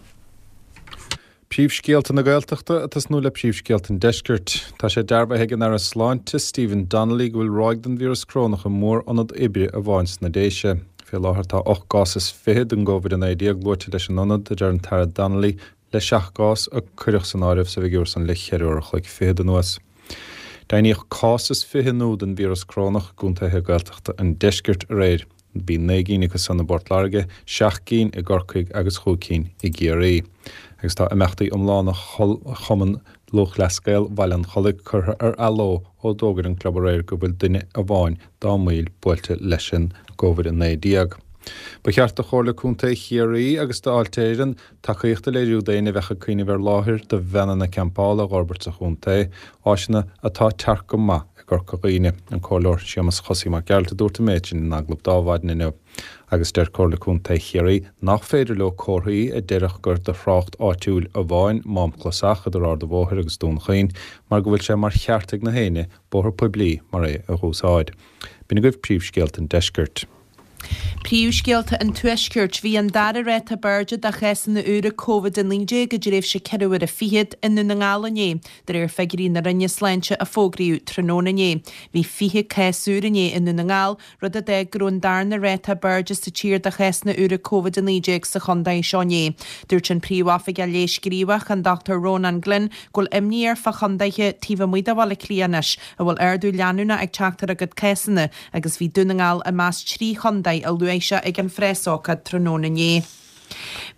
Príomhscéalta na Gaeltachta ag tosnú le príomhscéalta an Deiscirt. Tá sé dearbhaithe ag an Aire Sláinte Stephen Donnelly go bhfuil ráig den víreas corónach i mórionad oibre amháin sna Déise. Fé láthair tá ocht gcás is fiche den gCovid a naoi déag luaite leis an ionad, a deir an tAire Donnelly, le seacht gcás a cuireadh san áireamh sa bhfigiúr san le ceithre uair a chloig fichead anuas. Deimhníodh cás is fiche nua den víreas corónach i gcontaetha Gaeltachta an Deiscirt aréir. Bhí naoi gcinn acu san i bPort Láirge, seacht gcinn i gCorcaigh agus chúig cinn i gCiarraí. Agus tá imeachtaí iomlána Chumann Lúthchleas Gael Bhaile an Chollaigh curtha ar athló ó d'fhógair an club aréir go bhfuil duine amháin dá mbaill buailte leis an gCovid a naoi déag. Ba cheart do Chomhairle Contae Chiarraí agus d'Fháilte Éireann tacaíocht a léiriú d'éinne a bheadh ag cuimhneamh ar láthair do veaineanna campála a dh'fhorbairt sa chontae, áiseanna atá tearc go maith i gCorca Dhuibhne. An Comhairleoir Séamus Chosaí Mac Gearailt a dúirt an méid sin in agallamh d'Adhmhaidin inniu. Agus deir Comhairle Contae Chiarraí nach féidir leo comharthaí a déarfadh gur do thrácht áitiúil amháin Mám Clasach idir Ard an Bhóthair agus Dún Chaoin mar go bhfuil sé mar cheart ag na héinne bóthar poiblí mar é a dh'úsáid. B'in agaibh príomhscéalta an deiscirt. Príomhscéalta an Tuaiscirt Bhí an dara ráta b'airde de chásanna úra Covid a naoi déag i dtréimhse ceithre huaire fichead i nDún na nGall inné, de réir figiúirí na Roinne Sláinte a fógraíodh tráthnóna inné. Bhí fiche cás úr inné i Ndún na nGall, rud a d'fhág go raibh an darna ráta b'airde sa tír de chásanna úra Covid a naoi déag sa chontae seo inné. Dúirt an Príomhoifigeach Leighis Gníomhach, an Dochtúir Rónán Glynn, go bhfuil imní air fá chontaetha taobh amuigh de Bhaile Átha Cliath anois a bhfuil ardú leanúnach ag teacht ar a gcuid cásanna agus bhí Dún na nGall i measc trí chontae a luaigh sé ag an phreasócáid tráthnóna inné.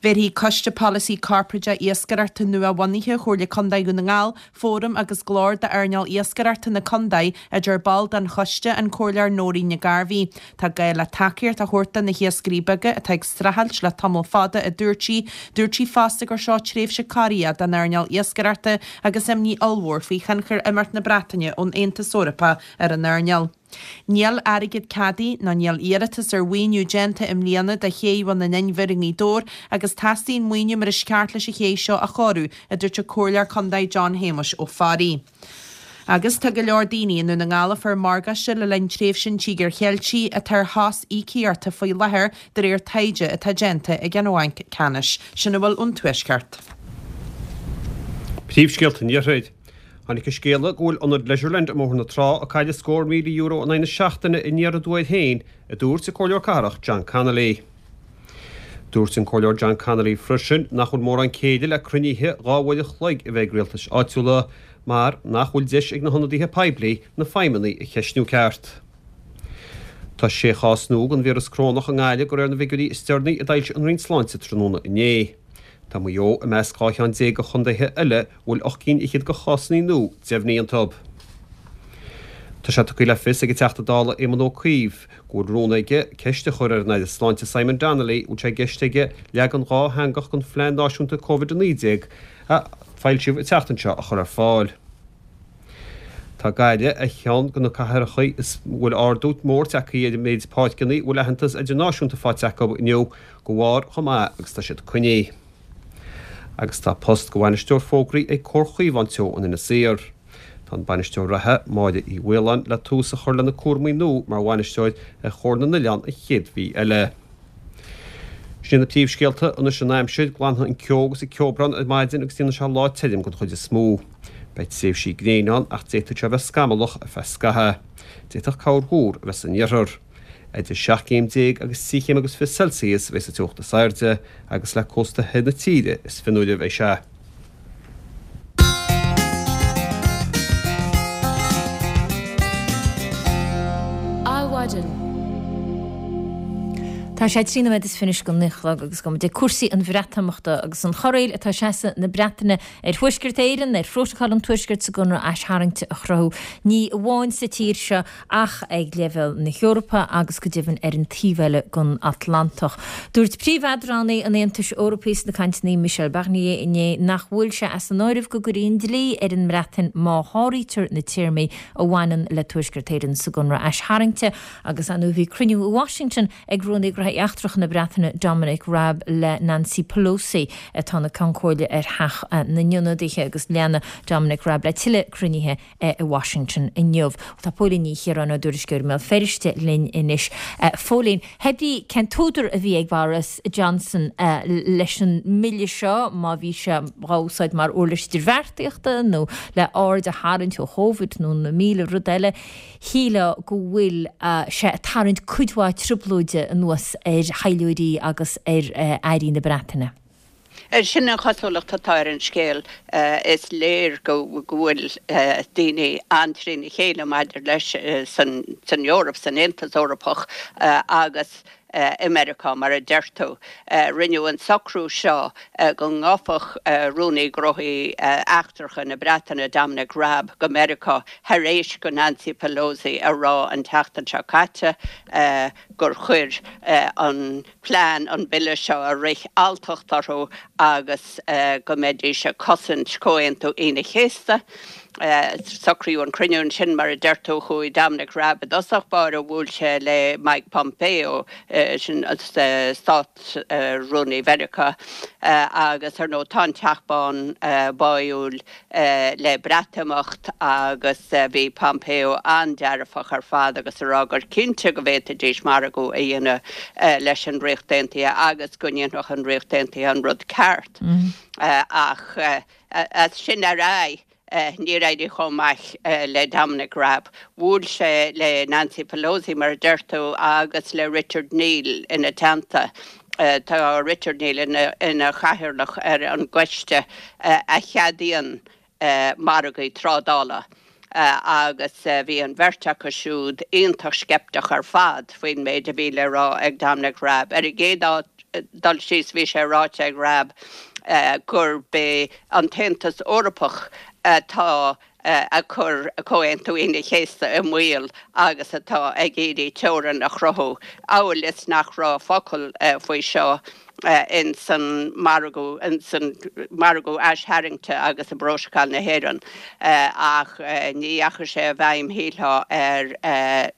Bhéarfaidh Coiste Polasaí Corparáideach Iascaireachta nua-bhunaithe Chomhairle Contae Dhún na nGall fóram agus glór d'earnáil iascaireachta na contae, a deir ball den choiste, an Comhairleoir Nóirín Nic Gairbhí. Tá gá le tacaíocht a thabhairt do na hiascairí beaga atá ag streachailt le tamall fada, a dúirt sí. Dúirt sí fosta gur seo tréimhse corraithe don earnáil iascaireachta agus imní ollmhór faoi thionchar imeacht na Breataine ón Aontas Eorpach ar an earnáil. Níl airgead ceadaithe ná níl iarratas ar mhaoiniú déanta i mbliana do ché Bhun an Inbhir i nGaoth Dobhair agus teastaíonn maoiniú mar is ceart leis an ché seo a chóiriú, a dúirt an Comhairleoir Contae John Shéamuis Ó Fearraigh. Agus tá go leor daoine i nDún na nGall a fuair morgáiste le linn tréimhse an Tíogair Cheiltigh atá ar shos íocaíochta faoi láthair de réir taighde atá déanta ag an Bhanc Ceannais. Sin a bhfuil ón Tuaisceart. Príomhscéalta an Iarthair. Tháinig an scéala go bhfuil ionad Leisureland i mBóthar na Trá ag cailleadh scór míle euro in aghaidh na seachtaine aniar aduaidh air féin, a dúirt an Comhairleoir Cathrach John Connolly. Dúirt an Comhairleoir John Connolly freisin nach bhfuil mórán céille le cruinnithe dhá uair an chloig a bheith ag rialtais áitiúla mar nach bhfuil deis ag na hionadaithe poiblí na feidhmeannaigh a cheistniú ceart. Tá sé chás nua den víreas corónach i nGaillimh de réir na bhfigiúirí is deireanaí a d'fhoilsigh an Roinn Sláinte tráthnóna inné. Tá Maigh Eo i measc dhá cheann déag de chontaetha eile a bhfuil ocht gcinn fhichead de chásanna nua deimhnithe iontu. Tá sé tugtha le fios ag an Teachta Dála Éamon Ó Cuív go bhfuil rún aige ceist a chur ar an Aire Sláinte Simon Donnelly an bhfuil sé i gceist aige leagan dhátheangach den Phlean Náisiúnta Covid a naoi déag a foilsíodh an tseachtain seo a chur ar fáil. Tá Gaillimh ar cheann de na cathracha a bhfuil ardú mór tagtha ar an méid páirceanna a bhfuil aitheantas idirnáisiúnta faighte acu inniu de bharr chomh maith agus tá siad coinnithe. Agus tá post de bhainisteoir fógraí ag Comhar Chaomhán Teo in Inis Oírr. Tá an bainisteoir reatha, Máire Uí Mhaoláin, le tús a chur lena cúraimí nua mar bhainisteoir ar Chomhar na nOileán an chéad mhí eile. Sin na príomhscéalta anois an aimsir, glanfaidh an ceo agus an ceobrán ar maidin agus déanfaidh sé lá tirim den chuid is mó. Beidh tréimhsí gréine ann ach d'fhéadfadh sé a bheith scamallach ar feadh scaithimh. D'fhéadfadh corrthúr a bheith san iarthar. Idir seacht gcéim déag agus trí chéim agus fiche Celsius a bheas an teocht is airde agus le cósta thoir na tíre is fionnuaire a bheidh sé. Adhmhaidin. Tá sé trí nóiméad is fiche anois go naoi a chlog agus gabhfaidh muid ag cúrsaí an Bhreatimeachta agus an chorraíl atá ag seasamh na Breataine ar Thuaisceart Éireann, ar Phrótacal an Tuaiscirt sa gConradh Aistarraingte a chruthú, ní amháin sa tír seo ach ag leibhéal na hEorpa agus go deimhin ar an taobh eile den Atlantach. Dúirt príomheadránaí an Aontais Eorpaigh sna cainteanna Michel Barnier inné nach bhfuil sé as an áireamh go gcuirfí an dlí ar an mBreatain má sháraítear na téarmaí a bhaineann le Tuaisceart Éireann sa gConradh Aistarraingte agus ar ndóigh bhí cruinniú i Washington ag Rúnaí Gnóthaí Eachtracha na Breataine Dominic Raab le Nancy Pelosi atá ina Ceann Comhairle ar Theach na nIonadaithe agus leanfaidh Dominic Raab le tuilleadh cruinnithe i Washington inniu. Tá Póilín Ní Chiaráin ár dtuairisceoir i mBéal Feirste linn anois. Phóilín, cibé cén t-údar a bhí ag Boris Johnson leis an mbille seo, má bhí sé dhá úsáid mar uirlis idirbheartaíochta nó le aird a tharraingt ó Chóvid nó na míle rud eile, shílfeá go bhfuil sé ag tarraingt cuid mhaith trioblóide anuas ar thaidhleoirí agus ar airí na Breataine. Sin an chosúlacht atá ar an scéal. Is léir go bhfuil daoine an-trína chéile maidir leis san Eoraip, san Aontas Eorpach agus i Meiriceá, mar a deir tú. Rinneadh an socrú seo go ngabhfadh Rúnaí Gnóthaí Eachtracha na Breataine, Dominic Raab, go Meiriceá thar éis do Nancy Pelosi a rá an tseachtain seo caite gur chuir an plean an bille seo a rith alltacht orthu agus go mbeidís ag cosaint Chomhaontú Aoine an Chéasta. Socraíodh an cruinniú ansin, mar a deir tú, chuaigh Dominic Raab i dtosach báire, bhuail sé le Mike Pompeo, sin Stát-Rúnaí Mheiriceá, agus ar ndóigh tá an Teach Bán báúil le Breatimeacht agus bhí Pompeo an-dearfach ar fad agus ag rá gur cinnte go bhféadfaidís margadh a dhéanamh leis an Ríocht Aontaithe agus go ndéanfadh an Ríocht Aontaithe an rud ceart. Ach as sin ar aghaidh, níor éirigh chomh maith le Dominic Raab. Bhuail sé le Nancy Pelosi, mar a deir tú, agus le Richard Neal ina teannta. Tá Richard Neal ina chathaoirleach ar an gcoiste a cheadaíonn margaí trádála agus bhí an bheirt acu siúd iontach sceipteach ar fad faoin méid a bhí le rá ag Dominic Raab. Ar an gcéad dul síos bhí sé ráite ag Raab gurb é an tAontas Eorpach atá ag cur Comhaontú Aoine an Chéasta i mbaol agus atá ag iarraidh teorainn a chruthú, amhail is nach raibh focal faoi seo ins an margadh, ins an margadh aistharraingte agus i bPrótacal na hÉireann. Ach ní dheachaigh sé i bhfeidhm, shílfeá, ar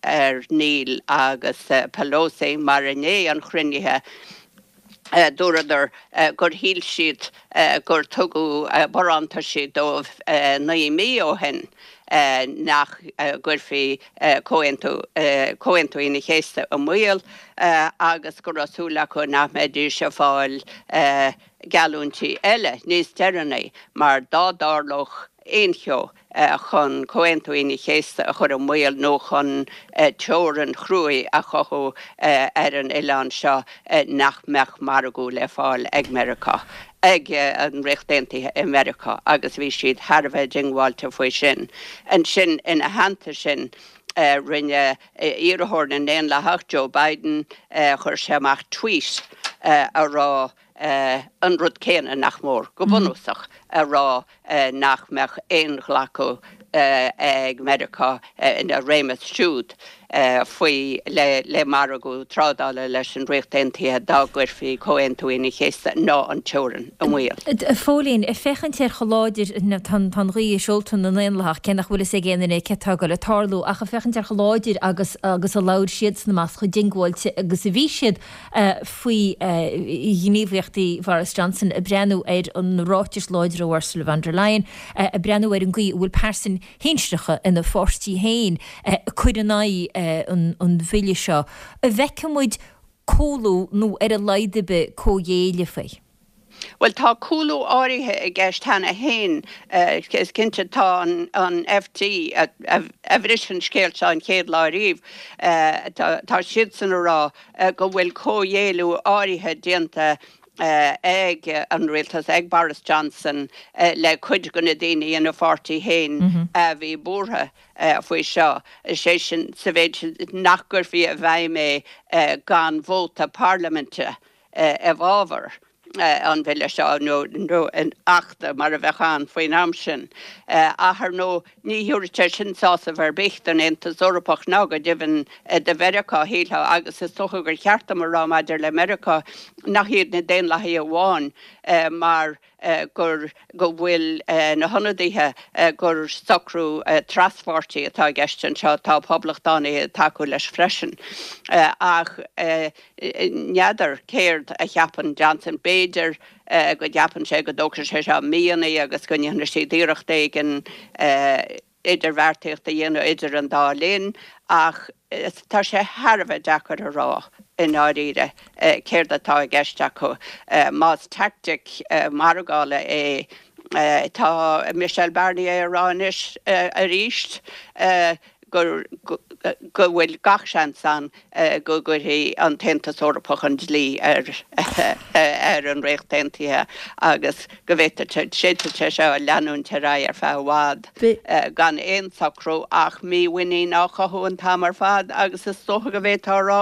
ar Neal agus Pelosi mar i ndiaidh an chruinnithe, Dúradar gur shíl siad gur tugadh barántaisí dóibh naoi mí ó shin nach gcuirfí Comhaontú Comhaontú Aoine an Chéasta i mbaol agus go raibh súil acu nach mbeidís ag fáil geallúintí eile níos deireanaí mar dá dtarlódh aon cheo chun Comhaontú Aoine an Chéasta a chur i mbaol nó chun teorainn chruaidh a chothú ar an oileán seo nach mbeadh margadh le fáil ag Meiriceá, ag an Ríocht Aontaithe i Meiriceá agus bhí siad thar a bheith diongbháilte faoi sin. Ansin, ina theannta sin, rinne iarrthóir na nDaonlathach, Joe Biden, chuir sé amach tweet a rá an rud céanna, nach mór, go bunúsach, a rá nach mbeadh aon ghlacadh ag Meiriceá ina réimeas siúd faoi le margadh trádála leis an Ríocht Aontaithe dá gcuirfí Comhaontú Aoine an Chéasta ná an teorainn i mbaol. A Phóilín, ag féachaint ar chomh láidir, tá an ghaoth i seolta na nDaonlathach, cé nach bhfuil fhios ag aon duine cé atá ag dul ag tarlú, ach ag féachaint ar chomh láidir agus agus a labhair siadsan amach, chomh diongbháilte agus a bhí siad faoi ghníomhaíochtaí Bhoris Johnson, ag breathnú ar na ráitis láidre ó Ursula von der Leyen, ag breathnú ar an gcaoi a bhfuil pearsain shinsearacha ina pháirtí féin ag cur in aghaidh an bhille seo, an bhfeicfidh muid cúlú nó ar a laghad ar bith comhghéilleadh faoi. Bhuel, tá cúlú áirithe i gceist cheana féin. Is cinnte, tá an F T, a bhris an scéal seo an chéad lá ariamh, tá siadsan a rá go bhfuil comhghéilleadh áirithe déanta ag an rialtas, ag Boris Johnson, le cuid de na daoine ina pháirtí féin a bhí buartha faoi seo, is é sin, sa mhéid nach gcuirfí i bhfeidhm é gan vóta parlaiminte i bhfabhar an bhille seo, nó an achta mar a bheadh ann faoin am sin. Ach ar ndóigh, ní thabharfaidh sé sin sásamh ar bith don Aontas Eorpach ná go deimhin do Mheiriceá, shílfeá, agus is dócha gur cheart dom a rá maidir le Meiriceá nach iad na Daonlathaithe amháin mar gur go bhfuil na hionadaithe gur socrú traspháirtí atá i gceist anseo, tá Poblachtánaithe ag tacú leis freisin. Ach n'fheadar céard a cheapann Johnson. B'fhéidir go gceapann sé go dtógfaidh sé seo míonna agus go ndéanfaidh siad iarracht éigin idirbheartaíocht a dhéanamh idir an dá linn ach tá sé thar a bheith deacair a rá i ndáiríre céard atá i gceist acu. Más teaictic margála é, tá Michel Barnier ag rá anois arís gur go bhfuil gach seans ann go gcuirfidh an tAontas Eorpach an dlí ar ar an Ríocht Aontaithe agus go bhféadfadh sé seo leanúint ar aghaidh ar feadh i bhfad gan aon socrú ach mímhuinín á chothú an t-am ar fad agus is dócha go bhféadfá a rá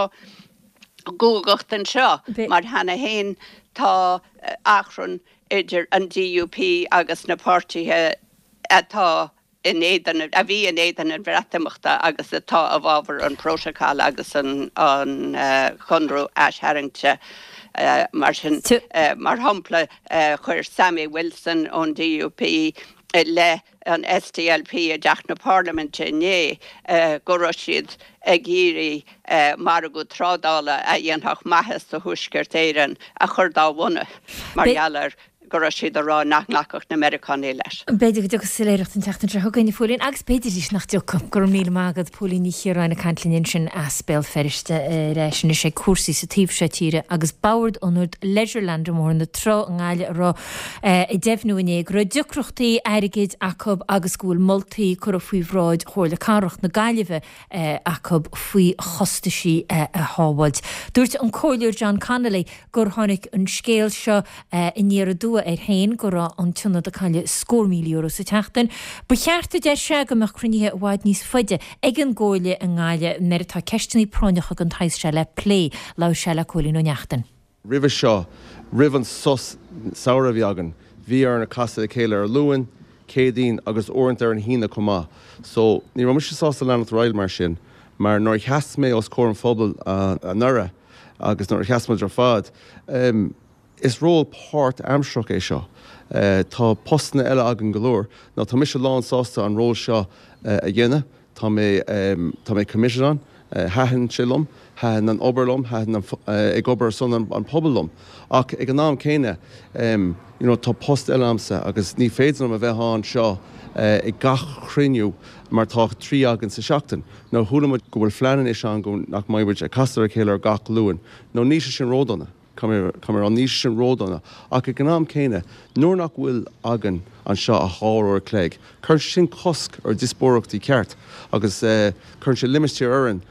guagacht anseo mar cheana féin tá achrann idir an D U P agus na páirtithe atá in éadan, a bhí in éadan an Bhreatimeachta agus atá i bhfabhar an Prótacal agus an Conradh Aistharraingte. Mar sin, mar shampla, chuir Sammy Wilson ón D U P i leith an SDLP i dTeach na Parlaiminte inné go raibh siad ag iarraidh margadh trádála a dhéanfadh maitheas do Thuaisceart Éireann a chur dá bhonn mar gheall ar go raibh siad ag rá nach nglacfadh na Meiriceánaigh leis. B'fhéidir go dtiocfaidh soiléireacht an tseachtain seo chugainn, a Phóilín, agus b'fhéidir arís nach dtiocfaidh. Go raibh míle maith agat, Póilín Ní Chiaráin ag caint linn ansin as Béal Feirste ar ais anois ag cúrsaí sa taobh seo tíre agus Bord Ionad Leisureland i mBóthar na Trá i nGaillimh a rá ag deimhniú inné go raibh deacrachtaí airgid acu agus go bhfuil moltaí curtha faoi bhráid Chomhairle Cathrach na Gaillimhe acu faoi chostaisí a shábháilt. Dúirt an Comhairleoir John Connolly gur tháinig an scéal seo aniar aduaidh air féin go raibh an t-ionad ag cailleadh scór míle euro sa tseachtain. Ba cheart, a deir sé, go mbeadh cruinnithe i bhfad níos faide ag an gComhairle i nGaillimh nuair atá ceisteanna práinneacha den tsaghas seo le plé. Labhair sé le Cóilín Ó Neachtain. Roimhe seo, roimh an sos samhraidh a bhí againn, bhí orainn casadh le chéile ar Luan, Céadaoin agus uaireanta ar an hAoine chomh maith. So, ní raibh mise sásta leanacht ar aghaidh mar sin, mar nuair a sheas mé os comhair an phobail anuraidh agus nuair a sheas muid ar fad, is ról páirtaimsearach é seo. Tá postanna eile againn go leor. Now tá mise lán sásta an ról seo a dhéanamh. Tá mé tá mé committed ann. Thaitin sé liom, thaitin an obair liom, thaitin an ag obair ar son an pobail liom. Ach ag an am céanna, you know, tá post eile a'msa agus ní féidir liom a bheith anseo ag gach cruinniú mar tá trí againn sa seachtain. Now chuala muid go bhfuil phlean anois ann go nach mbeidh muid ag casadh ar a chéile ar gach Luan. Now níl sé sin ródhona. Caithfidh mé a rá, níl sé sin ródhona. Ach ag an am céanna, nuair nach bhfuil againn anseo ach dhá uair a chloig, cuireann sé sin cosc ar díospóireachtaí ceart agus cuireann sé limistéar orainn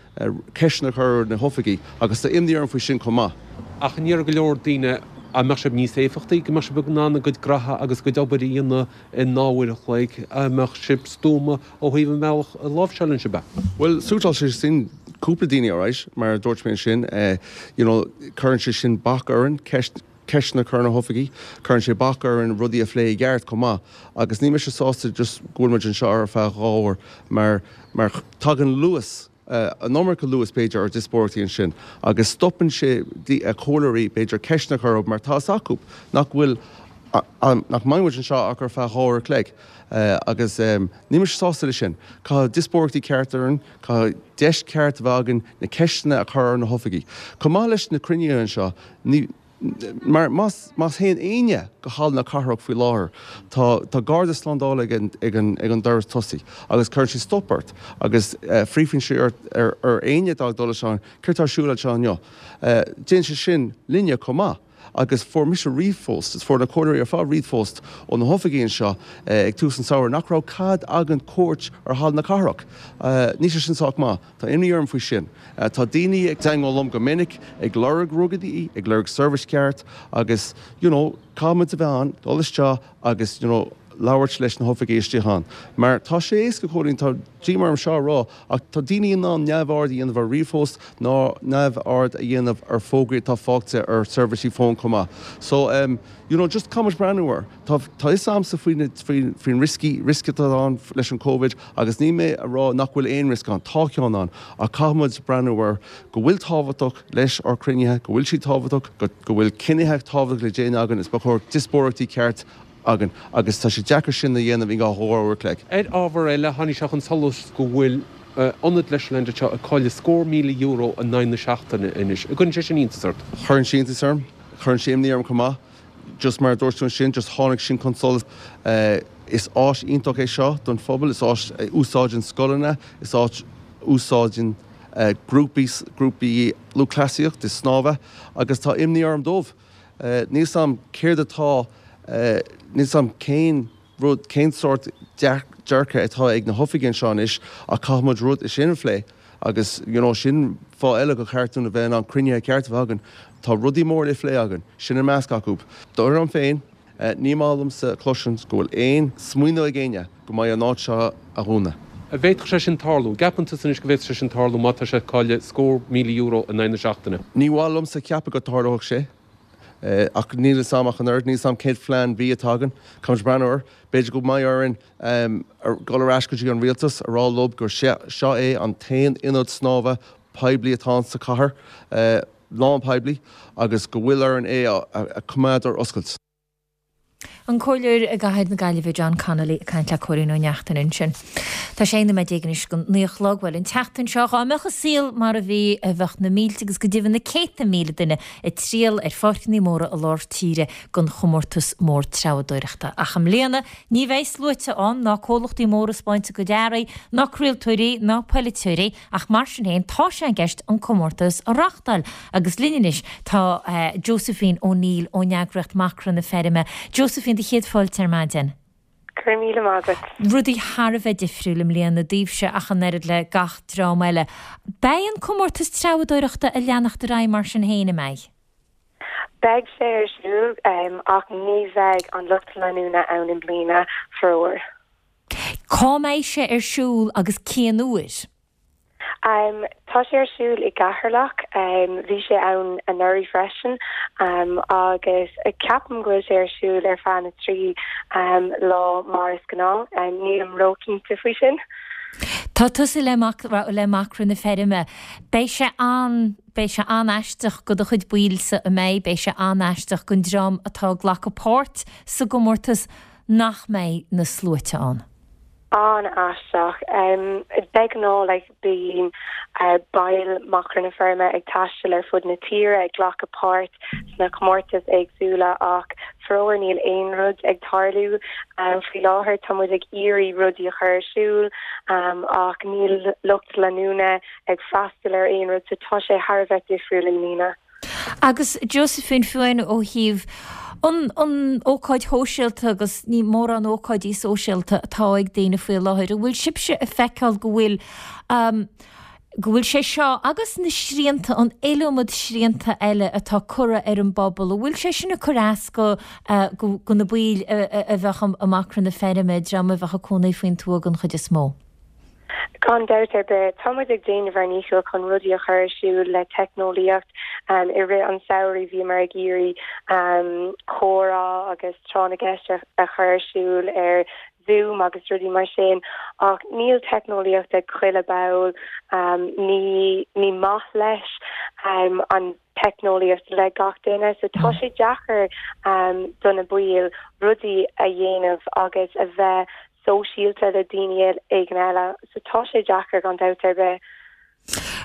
ceisteanna a chur ar na hoifigigh agus tá imní orm faoi sin chomh maith. Ach an ndéarfadh go leor daoine an mbeadh sibh níos éifeachtaí, go mbeadh sibh in ann a gcuid graithe agus a gcuid obair a dhéanamh i ndá uair a chloig, an mbeadh sibh stuama ó thaobh an bhealach a láimhseálann sibh é? Bhuel, suiteáil sé sin cúpla daoine alright, mar a dúirt mé ansin, you know, cuireann sé sin bac orainn ceist, ceisteanna a chur ar na hoifigigh, cuireann sé bac orainn rudaí a phlé i gceart chomh maith agus níl mise sásta just go bhfuil muid anseo ar feadh dhá uair mar, mar tagann luas, an iomarca luas b'fhéidir ar díospóireachtaí ansin agus stopann sé comhairleoirí b'fhéidir ceisteanna a chur orthu mar tá a fhios acu nach bhfuil nach mbeidh muid anseo ach ar feadh dhá uair a chloig agus níl mise sásta leis sin. Caithfidh díospóireachtaí ceart orainn, caithfidh deis ceart a bheith againn na ceisteanna a chur ar na hoifigigh. Chomh maith leis na cruinnithe anseo, ní mar más más théann éinne go Halla na Cathrach faoi láthair, tá tá garda slándála ag an ag an ag an doras tosaigh agus cuireann sé stop ort agus fiafraíonn sé ort ar ar éinne atá ag dul isteach céard atá ar siúl anseo inniu. Déanann sé sin linne chomh maith. Agus fuair mise ríomhphost, is fuair na comhairleoirí ar fad ríomhphost ó na hoifigigh anseo ag tús an tsamhraidh nach raibh cead againn cuairt ar Halla na Cathrach. Níl sé sin sách maith. Tá imní orm faoi sin. Tá daoine ag teagmháil liom go minic ag lorg rudaí, ag lorg seirbhís ceart agus you know caithfidh muid a bheith ann, dul isteach agus you know labhairt leis na hoifigigh istigh ann. Mar tá sé éasca, Cóilín, tá díoma orm seo a rá, ach tá daoine in ann neamhaird a dhéanamh ar ríomhphost ná neamhaird a dhéanamh ar fógraí atá faighte ar seirbhísí fóin chomh maith. So, um, you know, just caithfidh muid breathnú air. Tá tá fhios a'msa faoi na faoi faoin rioscaí riosca atá ann leis an Covid agus níl mé a rá nach bhfuil aon riosca ann, tá ceann ann, ach caithfidh muid breathnú air go bhfuil tábhachtach leis ár cruinnithe, go bhfuil siad tábhachtach, go go bhfuil cinnithe tábhachtach le déanamh againn, is ba chóir díospóireachtaí ceart againn agus tá sé deacair sin a dhéanamh in dhá uair a chloig. Ar ábhar eile, tháinig sé chun solais go bhfuil ionad Leisureland anseo ag cailleadh scór míle euro in aghaidh na seachtaine anois. An gcuireann sé sin iontas ort? Cuireann sé iontas orm. Cuireann sé imní orm chomh maith. Just mar a dúirt tú ansin, just tháinig sin chun solais. Is áis iontach é seo don phobal, is áis a úsáideann scoileanna, is áit a úsáideann grúpaí, grúpaí lúthchleasaíocht is snámha agus tá imní orm dóibh. Níl 's a'm céard atá, níl 's a'm cén rud, cén sórt dearcadh atá ag na hoifigigh anseo anois ach caithfidh muid rud sin a phlé agus you know sin fáth eile gur cheart dúinn a bheith in ann cruinnithe ceart a bheith againn. Tá rudaí móra le plé againn, sin i measc acu. Dar liom féin, ní maith liomsa cloisint go bhfuil aon smaoineamh ag éinne go mbeidh an áit seo a dhúnadh. An bhféadfadh sé sin tarlú? An gceapann tusa anois go bhféadfadh sé sin tarlú má tá sé ag cailleadh scór míle euro in aghaidh na seachtaine? Ní mhaith liomsa ceapadh go dtarlódh sé, ach níl 'fhios a'm ach an oiread, níl 'fhios a'm cén phlean B atá againn. Caithfimid breathnú air. B'fhéidir go mbeidh orainn dul ar ais go dtí an rialtas a rá leo gur seo é an t-aon ionad snámha poiblí atá ann sa chathair, lán poiblí, agus go bhfuil orainn é a choimeád ar oscailt. An Comhairleoir i gCathair na Gaillimhe John Connolly ag caint le Cóilín Ó Neachtain ansin. Tá sé aon nóiméad déag anois go naoi a chlog. Bhuel, an tseachtain seo, dhá mbeadh an saol mar a bhí, bheadh na mílte agus go deimhin na céadta míle duine ag triall ar pháirceanna móra i lár tíre don chomórtas mór treabhadóireachta. Ach i mbliana, ní bheidh sluaite ann, ná comhlachtaí móra ag 'spáint a gcuid earraí, ná craoltóirí, ná polaiteoirí, ach mar sin féin, tá sé i gceist an comórtas a reáchtáil. Agus linn anois tá Josephine O'Neill ón eagraíocht Macra na Feirme. Josephine, do chéad fáilte ar maidin. Go raibh míle maith agat. Rudaí thar a bheith difriúil i mbliana daoibhse ach an oiread le gach dream eile. Beidh an comórtas treabhadóireachta ag leanacht ar aghaidh mar sin féin, an mbeidh? Beidh sé ar siúl ach ní bheidh an lucht leanúna ann i mbliana, faraor. Cá mbeidh sé ar siúl agus cén uair? Tá sé ar siúl i gCeatharlach, bhí sé ann anuraidh freisin agus ceapaim go bhfuil sé ar siúl ar feadh na trí lá mar is gnáth, nílim róchinnte faoi sin. Tá tusa le le Macra na Feirme. Beidh sé an beidh sé an-aisteach go do chuid baill-sa an mbeidh, beidh sé an-aisteach don dream atá ag glacadh páirt sa gcomórtas nach mbeidh na sluaite ann. An-aisteach. De ghnáth like bíonn baill Macra na Feirme ag taisteal ar fud na tíre ag glacadh páirt sna comórtais éagsúla ach faraor níl aon rud ag tarlú faoi láthair. Tá muid ag iarraidh rudaí a chur ar siúl ach níl lucht leanúna ag freastal ar aon rud so tá sé thar a bheith difriúil i mbliana. Agus Josephine, fiú amháin ó thaobh an an ócáid shóisialta agus ní mórán ócáidí sóisialta atá ag daoine faoi láthair, an bhfuil sibhse ag feiceáil go bhfuil go bhfuil sé seo agus na srianta, an iliomad srianta eile atá curtha ar an bpobal, an bhfuil sé sin ag cur as go go na baill a bheadh i Macra na Feirme, dream a bheadh ag cónaí faoin tuath den chuid is mó? Gan dabht ar bith, tá muid ag déanamh ár ndícheall chun rudaí a chur ar siúl le teicneolaíocht. I rith an samhraidh bhíomar ag iarraidh comhrá agus tráth na gceist a chur ar siúl ar Zoom agus rudaí mar sin ach níl teicneolaíocht ag chuile ball, ní ní maith leis an teicneolaíocht le gach duine so tá sé deacair do na baill rudaí a dhéanamh agus a bheith sóisialta le daoine éigin eile so tá sé deacair gan dabht ar bith.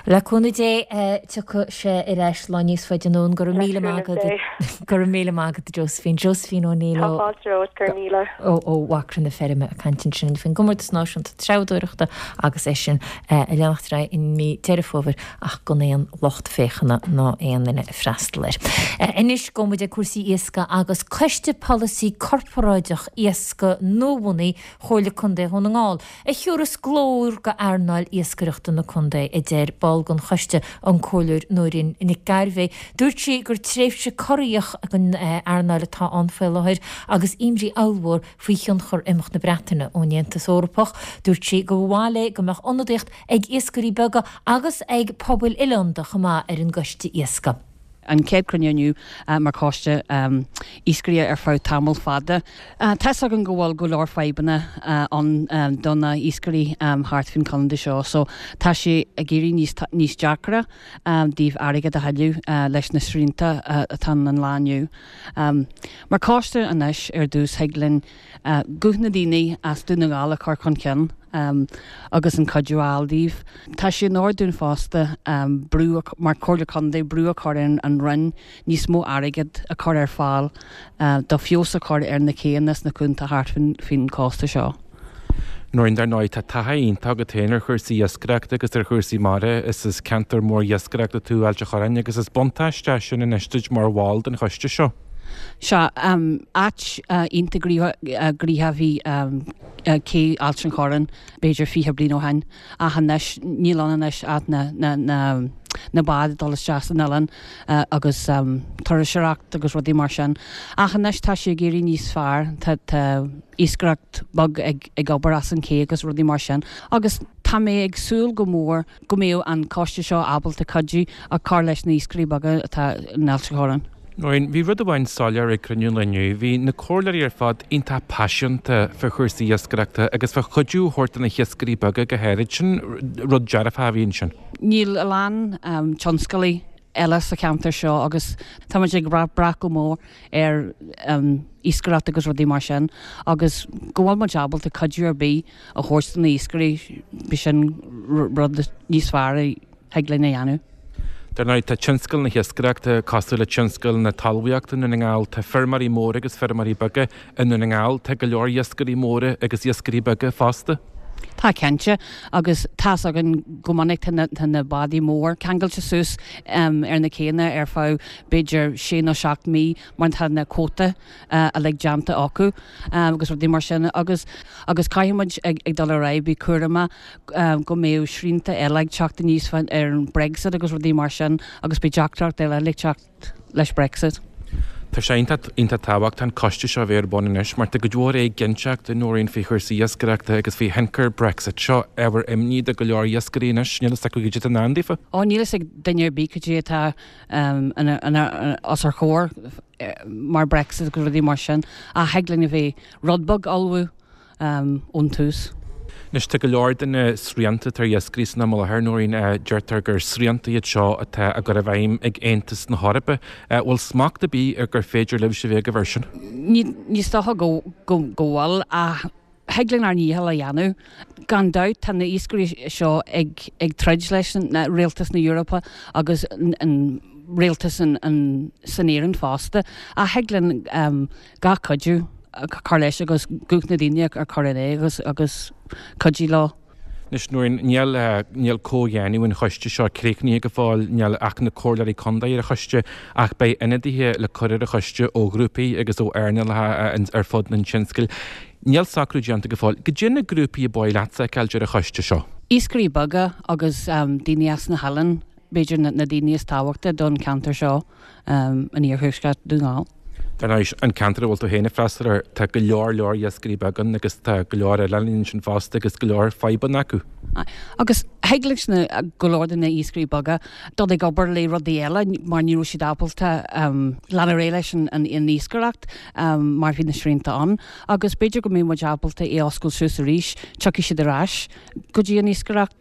Le cúnamh Dé tiocfaidh sé ar ais lá níos faide anonn. Go raibh míle maith agat. Go raibh míle maith agat Josephine. Josephine O'Neill ó Tá fáilte romhat, go raibh míle. ó Mhacra na Feirme ag caint ansin faoin gcomórtas náisiúnta treabhdóireachta agus é sin ag leanacht ar aghaidh i mí Deireadh Fómhair ach gan aon lucht féachana ná aon duine ag freastal air. Anois gabhfaidh muid ag cúrsaí iascaigh agus Coiste Polasaí Corparáideach Iascaigh nuabhunaithe Chomhairle Contae Dhún na nGall, a thiúrfas glór go earnáil iascaireachta na contae, a deir ball den choiste, an Comhairleoir Nóirín Nic Gairbheith. Dúirt sí gur tréimhse corraitheach don earnáil atá ann faoi láthair agus imní ollmhór faoi thionchar imeacht na Breataine ón Aontas Eorpach. Dúirt sí gur mhaith léi go mbeadh ionadaíocht ag iascairí beaga agus ag pobail oileánda chomh maith ar an gcoiste iascaigh. An chéad cruinniú inniu mar choiste iascairí ar feadh tamall fada. Tá's againn go bhfuil go leor fadhbanna ann do na iascairí thart faoin chontae seo so tá sé ag éirí níos níos deacra daoibh airgead a thuilleamh leis na srianta atá ann an lá inniu. Mar choiste anois ar dtús thig linn guth na daoine as Dún na nGall a chur chun cinn agus an cuidiú a fháil daoibh. Tá sé in ord dúinn fosta brú, mar Chomhairle Contae, brú a chur ar an Roinn níos mó airgead a chur ar fáil do feabhas a chur ar na céanna sna cuanta thart faoin chósta seo. Nóirín, dar ndóigh, tá taithí iontach agat féin ar chúrsaí iascaireachta agus ar chúrsaí mara. Is as ceantar mór iascaireachta tú, Ailt an Chorráin, agus is buntáiste é sin anois duit mar bhall den choiste seo. Sea, áit iontach gnoitheach a bhí cé Ailt an Chorráin b'fhéidir fiche bliain ó shin ach anois níl ann anois ach na báid ag dul isteach san oileán agus turasóireacht agus rudaí mar sin. Ach anois tá sé ag éirí níos fearr, tá iascaireacht beag ag obair as an ché agus rudaí mar sin agus tá mé ag súil go mór go mbeadh an coiste seo ábalta cuidiú a chur leis na hiascairí beaga atá in Ailt an Chorráin. Nóirín, bhí rud amháin soiléir ag cruinniú an lae inniu, bhí na comhairleoirí ar fad iontach paiseanta fá chúrsaí iascaireachta agus fá chuidiú a thabhairt do na hiascairí beaga go háirid. Sin rud dearfach a bhí ansin. Níl a lán tionscalaí eile sa cheantar seo agus tá muid ag brath go mór ar iascaireacht agus rudaí mar sin agus go bhfuil muid ábalta cuidiú ar bith a thabhairt do na iascairí, b'shin rud níos fearr a thig linn a dhéanamh. Dar ndóigh, tá tionscal na hiascaireachta cosúil le tionscal na talmhaíochta i nDún na nGall. Tá feirmeoirí móra agus feirmeoirí beaga i nDún na nGall. Tá go leor iascairí móra agus iascairí beaga fosta. Tá cinnte, agus tá's againn go minic tá na tá na bádaí mór ceangailte suas ar na céanna ar feadh b'fhéidir sé nó seacht mí mar tá na cuóta uilig déanta acu agus rudaí mar sin agus agus caithfidh muid ag ag dul ar aghaidh bí cúramach go mbeadh srianta eile ag teacht aníos ar an Brexit agus rudaí mar sin agus beidh deacracht eile ag teacht leis Brexit. Tá sé iontach iontach tábhachtach an coiste seo a bheith ar bun anois mar tá cuid mhór éiginnteacht a Nóirín faoi chúrsaí iascaireachta agus faoi thionchar Brexit. Seo ábhar imní do go leor iascairí anois. Níl a fhios acu cad é atá i ndán daofa. Ó níl a fhios ag duine ar bith cad é atá os ár chomhair mar Brexit agus rudaí mar sin ach thig linn a bheith rud beag ullmhú ón tús. Anois tá go leor de na srianta atá ar iascairí san am i láthair, Nóirín, deirtear gur srianta iad seo atá á gcur i bhfeidhm ag Aontas na hEorpa. Bhfuil smacht ar bith ar gur féidir libhse a bheith agaibh air sin? Ní is dócha go bhfuil ach thig linn ár ndícheall a dhéanamh. Gan dabht tá na iascairí seo ag ag troid leis rialtas na hEorpa agus an rialtas san Éirinn fosta ach thig linn gach cuidiú a chur leis agus guth na daoine a chur in aghaidh agus agus cuidiú leo. Anois Nóirín, níl níl comhdhéanamh an choiste seo críochnaithe go fóill, níl ach na comhairleoirí contae ar an choiste ach beidh ionadaithe le cur ar an choiste ó ghrúpaí agus ó earnálacha ar fud an tionscail. Níl socrú déanta go fóill. Goidé na grúpaí ab áil leat a fheiceáil ar an choiste seo? Iascairí beaga agus daoine as na hoileáin. b'fhéidir na daoine is tábhachta don cheantar seo in iarthuaisceart Dhún na nGall. Dar ndóigh, an ceantar a bhfuil tú féin ag freastal air, tá go leor leor iascairí beaga ann agus tá go leor oileáin ansin fosta agus go leor fadhbanna acu. Agus thig leis na go leor de na iascairí beaga dul ag obair le rudaí eile mar ní raibh siad ábalta lean ar aghaidh leis an iascaireacht mar bhí na srianta ann agus b'fhéidir go mbeidh muid ábalta é a oscailt suas arís, tiocfaidh siad ar ais go dtí an iascaireacht.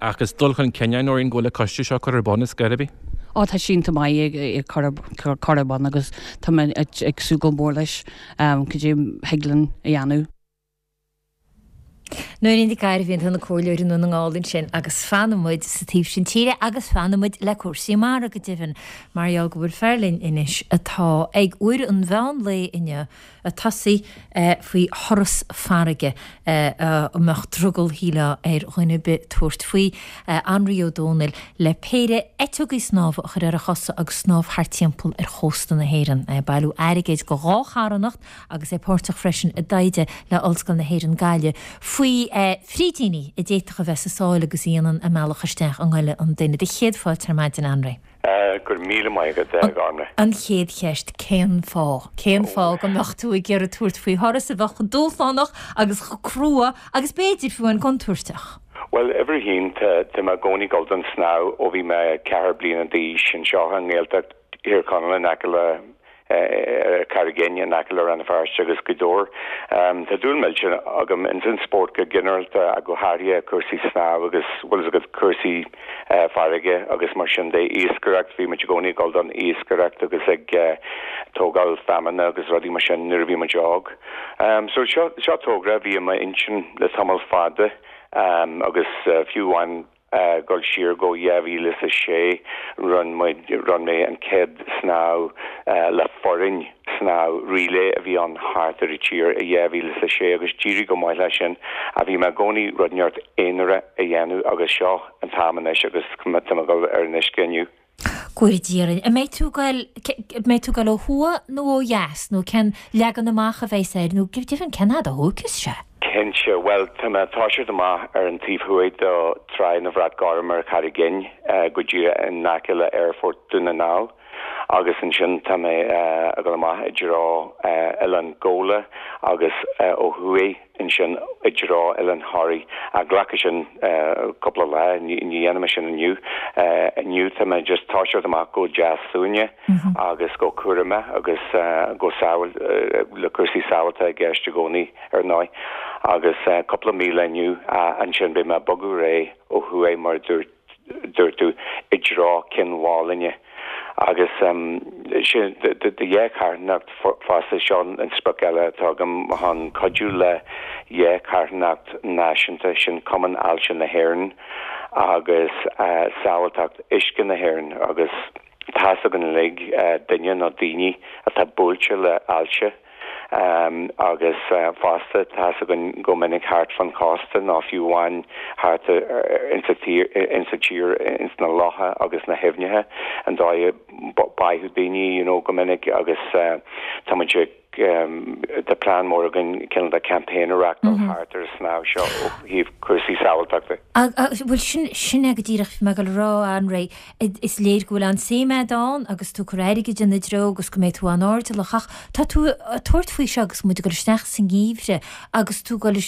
Ach is dul chun cinn é, Nóirín, go bhfuil an coiste seo curtha ar bun ar scor ar bith. Ó, tá sé iontach maith é cur ar bun agus tá mé ag súil go mór leis cad é thig linn a dhéanamh. Nóirín Nic Gairbhí, an comhairleoir i nDún na nGall ansin agus fanfaidh muid sa taobh sin tíre agus fanfaidh muid le cúrsaí mara go deimhin mar gheall go bhfuil fear linn anois atá ag uair an mheán lae inniu ag tosaí faoi thuras farraige a mbeadh drogall shílfeá ar dhuine ar bith tabhairt faoi, Anraí Ó Dónaill, le péire eiteogaí snámha a chur ar a chosa agus snámh thart timpeall ar chósta na hÉireann. É ag bailiú airgid go dhá charthanacht agus é páirteach freisin i dtaighde le Ollscoil na hÉireann Gaillimh faoi frídíní a d'fhéadfadh a bheith sa sáile agus a dhéanann a mbealach isteach i ngoile an duine. Do chéad fáilte ar maidin, Anraí. Go raibh míle maith agat, a Ghormlaith. An chéad cheist, cén fáth? Cén fáth go mbeadh tú ag iarraidh tabhairt faoi thuras a bheadh chomh dúshlánach agus chomh crua agus b'fhéidir fiú amháin contúirteach? Bhuel, uimhir a haon, tá mé i gcónaí ag dul don snámh ó bhí mé ceathair bliana d'aois anseo i nGaeltacht Thír Chonaill in aice le ar Charraig Fhinn in aice le Rann na Feirste agus Gaoth Dobhair. Tá dúil millteach agam ins an spórt go ginearálta ach go háirithe cúrsaí snámh agus bhfuil fhios agat cúrsaí farraige agus mar sin de. Iascaireacht, bhí muid i gcónaí ag dul don iascaireacht agus ag tógáil feamainne agus rudaí mar sin nuair a bhí muid óg. So seo seo togra a bhí i m'intinn le tamall fada agus fiú amháin dul siar go dhá mhíle is a sé, rinne muid, rinne mé an chéad snámh le foireann, snámh relay a bhí ann thart ar an tír i dhá mhíle is a sé agus d'éirigh go maith leis sin ach bhí mé i gcónaí rud inteacht aonarach a dhéanamh agus seo an t-am anois agus tá mé ag dul ar an uisce inniu. Go bhfóire Dia orainn. An mbeidh tú ag goil, an mbeidh tú ag goil ó thuaidh nó ó dheas nó cén leagan amach a bheas air nó go deimhin cén fhad a thógfas sé? Cinnte, bhuel tá mé ag toiseacht amach ar an taobh thuaidh de Tráigh na Bhrat Gorm ar Charraig Fhinn go díreach in aice le Aerfort Dún na nGall agus ansin tá mé ag dul amach i dtreo Oileán Ghabhla agus ó thuaidh ansin i dtreo Oileán Thoraí. Ach glacfaidh sin cúpla lá, ní dhéanfaidh mé sin inniu. Inniu tá mé just toiseacht amach go deas suaimhneach agus go cúramach agus go sábháil, le cúrsaí sábháilte i gceist i gcónaí ar ndóigh. Agus cúpla míle inniu, ansin beidh mé ag bogadh ar aghaidh ó thuaidh mar a dúirt dúirt tú, i dtreo Cionn Mhálanna Agus sin do dhá charthanacht fosta seo an sprioc eile atá agam chun cuidiú le dhá charthanacht náisiúnta, sin Cumann Ailse na hÉireann agus Sábháilteacht Uisce na hÉireann agus tá's againn uilig duine nó daoine atá buailte le ailse. Agus fosta, tá's againn go minic thart fán chósta nó fiú amháin thart insa tír, insa tír, ins na locha agus na haibhneacha, an dóigh a báitheadh daoine, you know, go minic agus tá muid ag, tá plean mór againn cineál de campaign a reachtáil thart ar an snámh seo ó thaobh cúrsaí sábháilteachta. Bhuel, sin, sin é go díreach, bhí mé ag dul a rá, a Anraí, is léir go bhfuil an-suim agat ann agus tú ag cur airgid ina dtreo agus go mbeidh tú an-airdeallach ach tá tú ag tabhairt faoi seo agus muid ag dul isteach sa ngeimhreadh agus tú ag dul,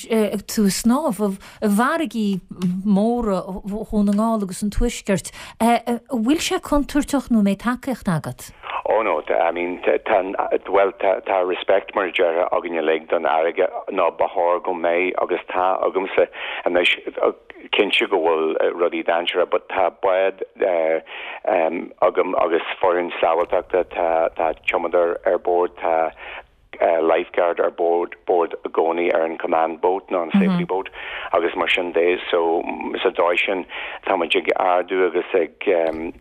tú ag snámh i bhfarraigí móra Dhún na nGall agus an Tuaiscirt. An bhfuil sé contúirteach nó an mbeidh tacaíocht agat? Oh no, I mean tá, bhuel tá, tá respect mar a déarfá againn uilig don fharraige nó ba chóir go mbeidh agus tá agamsa anois cinnte go bhfuil rudaí dainséarach but tá bád agam agus foireann sábháilteachta, tá, tá tiománaí ar bord, tá lifeguard ar bord bord i gcónaí ar an command boat nó an safety boat agus mar sin de so sa dóigh sin tá muid ag ardú agus ag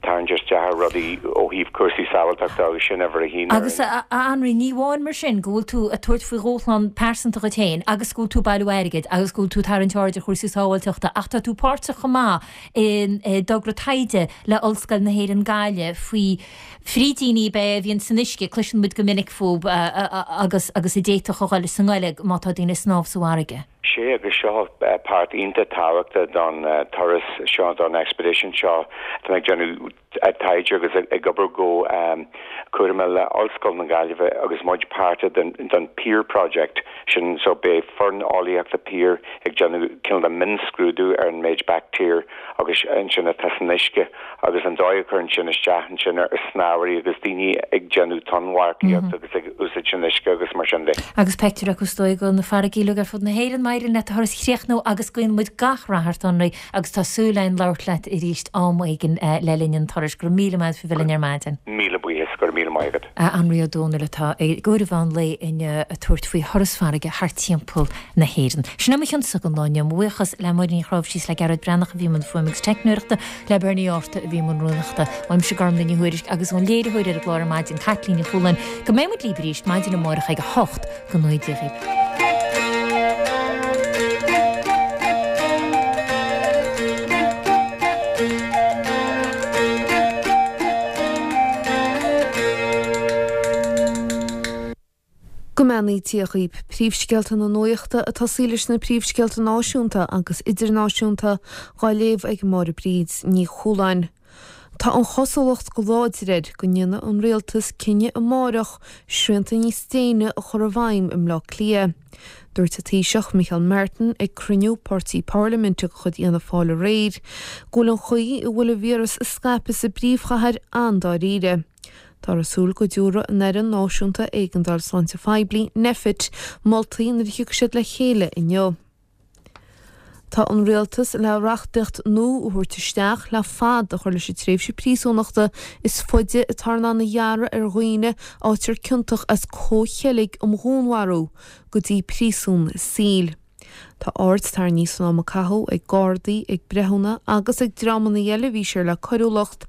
tarraingt isteach ar rudaí ó thaobh cúrsaí sábháilteachta agus sin uimhir a haon ar Agus a Anraí, ní amháin mar sin go bhfuil tú ag tabhairt faoi dhúshlán pearsanta dhuit féin agus go bhfuil tú ag bailiú airgid agus go bhfuil tú ag tarraingt aird ar chúrsaí sábháilteachta ach tá tú páirteach chomh maith i dtogra taighde le Ollscoil na hÉireann Gaillimh faoi frídíní ab ea a bhíonn san uisce, cloiseann muid go minic fúthu agus agus a d'fhéadfadh a dhul sa ngoile má tá daoine ag snámh sa bhfarraige. Sea, agus seo páirt iontach tábhachtach don turas seo, don expedition seo. Tá mé ag déanamh taighde agus ag obair go cúramach le Ollscoil na Gaillimhe agus muid páirteach den Pier Project sin so beidh foireann eolaíochta Pier ag déanamh cineál de mionscrúdú ar an méid baictéar agus ansin atá san uisce agus an dóigh a chuireann sin isteach ansin ar shnámhairí agus daoine ag déanamh tonnmharcaíocht agus ag úsáid an uisce agus mar sin de. Agus pictiúr acu is dóigh de na farraigí uilig ar fud na hÉireann. Má éiríonn leat do thuras a chríochnú agus guíonn muid gach rath ort, a Anraí, agus tá súil againn labhairt leat arís am éigin le linn an turais. Go raibh míle maith agat faoi bheith linn ar maidin. Míle buíochas, go raibh míle maith agat. Anraí Ó Dónaill atá i gcomhair an mheán lae inniu ag tabhairt faoi thuras farraige thart timpeall na hÉireann. Sin é mo chionsa don lá inniu. Mo bhuíochas le Máire Ní Chráimhsí is le Gearóid Breathnach a bhí i mbun fuaime agus teicneoireachta, le Bernie Arthur a bhí i mbun rúnaíochta. Uaimse Gormlaith Ní Thuairisg agus ón léiritheoir ar an gclár ar maidin, Caitlín Ní Chualáin, go mbeidh muid libh arís maidin amárach ag a hocht go ngnóthaí Dia dhaoibh. Go mbeannaí Dia dhaoib. Príomhscéalta na nuachta ag tosaí leis na príomhscéalta náisiúnta agus idirnáisiúnta dhá léamh ag Máire Bríd Ní Chualáin. Tá an chosúlacht go láidir air go ndéanfaidh an rialtas cinneadh amárach srianta níos déine a chur i bhfeidhm i mBleá Cliath. Dúirt an Taoiseach Micheál Martin ag cruinniú páirtí parlaiminte de chuid Fhianna Fáil aréir go bhfuil an chaoi a bhfuil an víreas ag scaipeadh sa bpríomhchathair an-dáiríre. Táthar ag súil go dtabharfaidh an Fhoireann Náisiúnta Éigeandáil Sláinte Phoiblí, Nphet, moltaí nuair a thiocfaidh siad le chéile inniu. Tá an rialtas le reachtaíocht nua a thabhairt isteach le fad a chur leis an tréimhse príosúnachta is faide atá in ann a ghearradh ar dhaoine a fhaightear ciontach as comhcheilg um dhúnmharú go dtí príosún saoil. Tá aird tarraingthe san am a caitheadh ag gardaí, ag breithiúna agus ag dreamanna eile a bhí siar le coiriúlacht.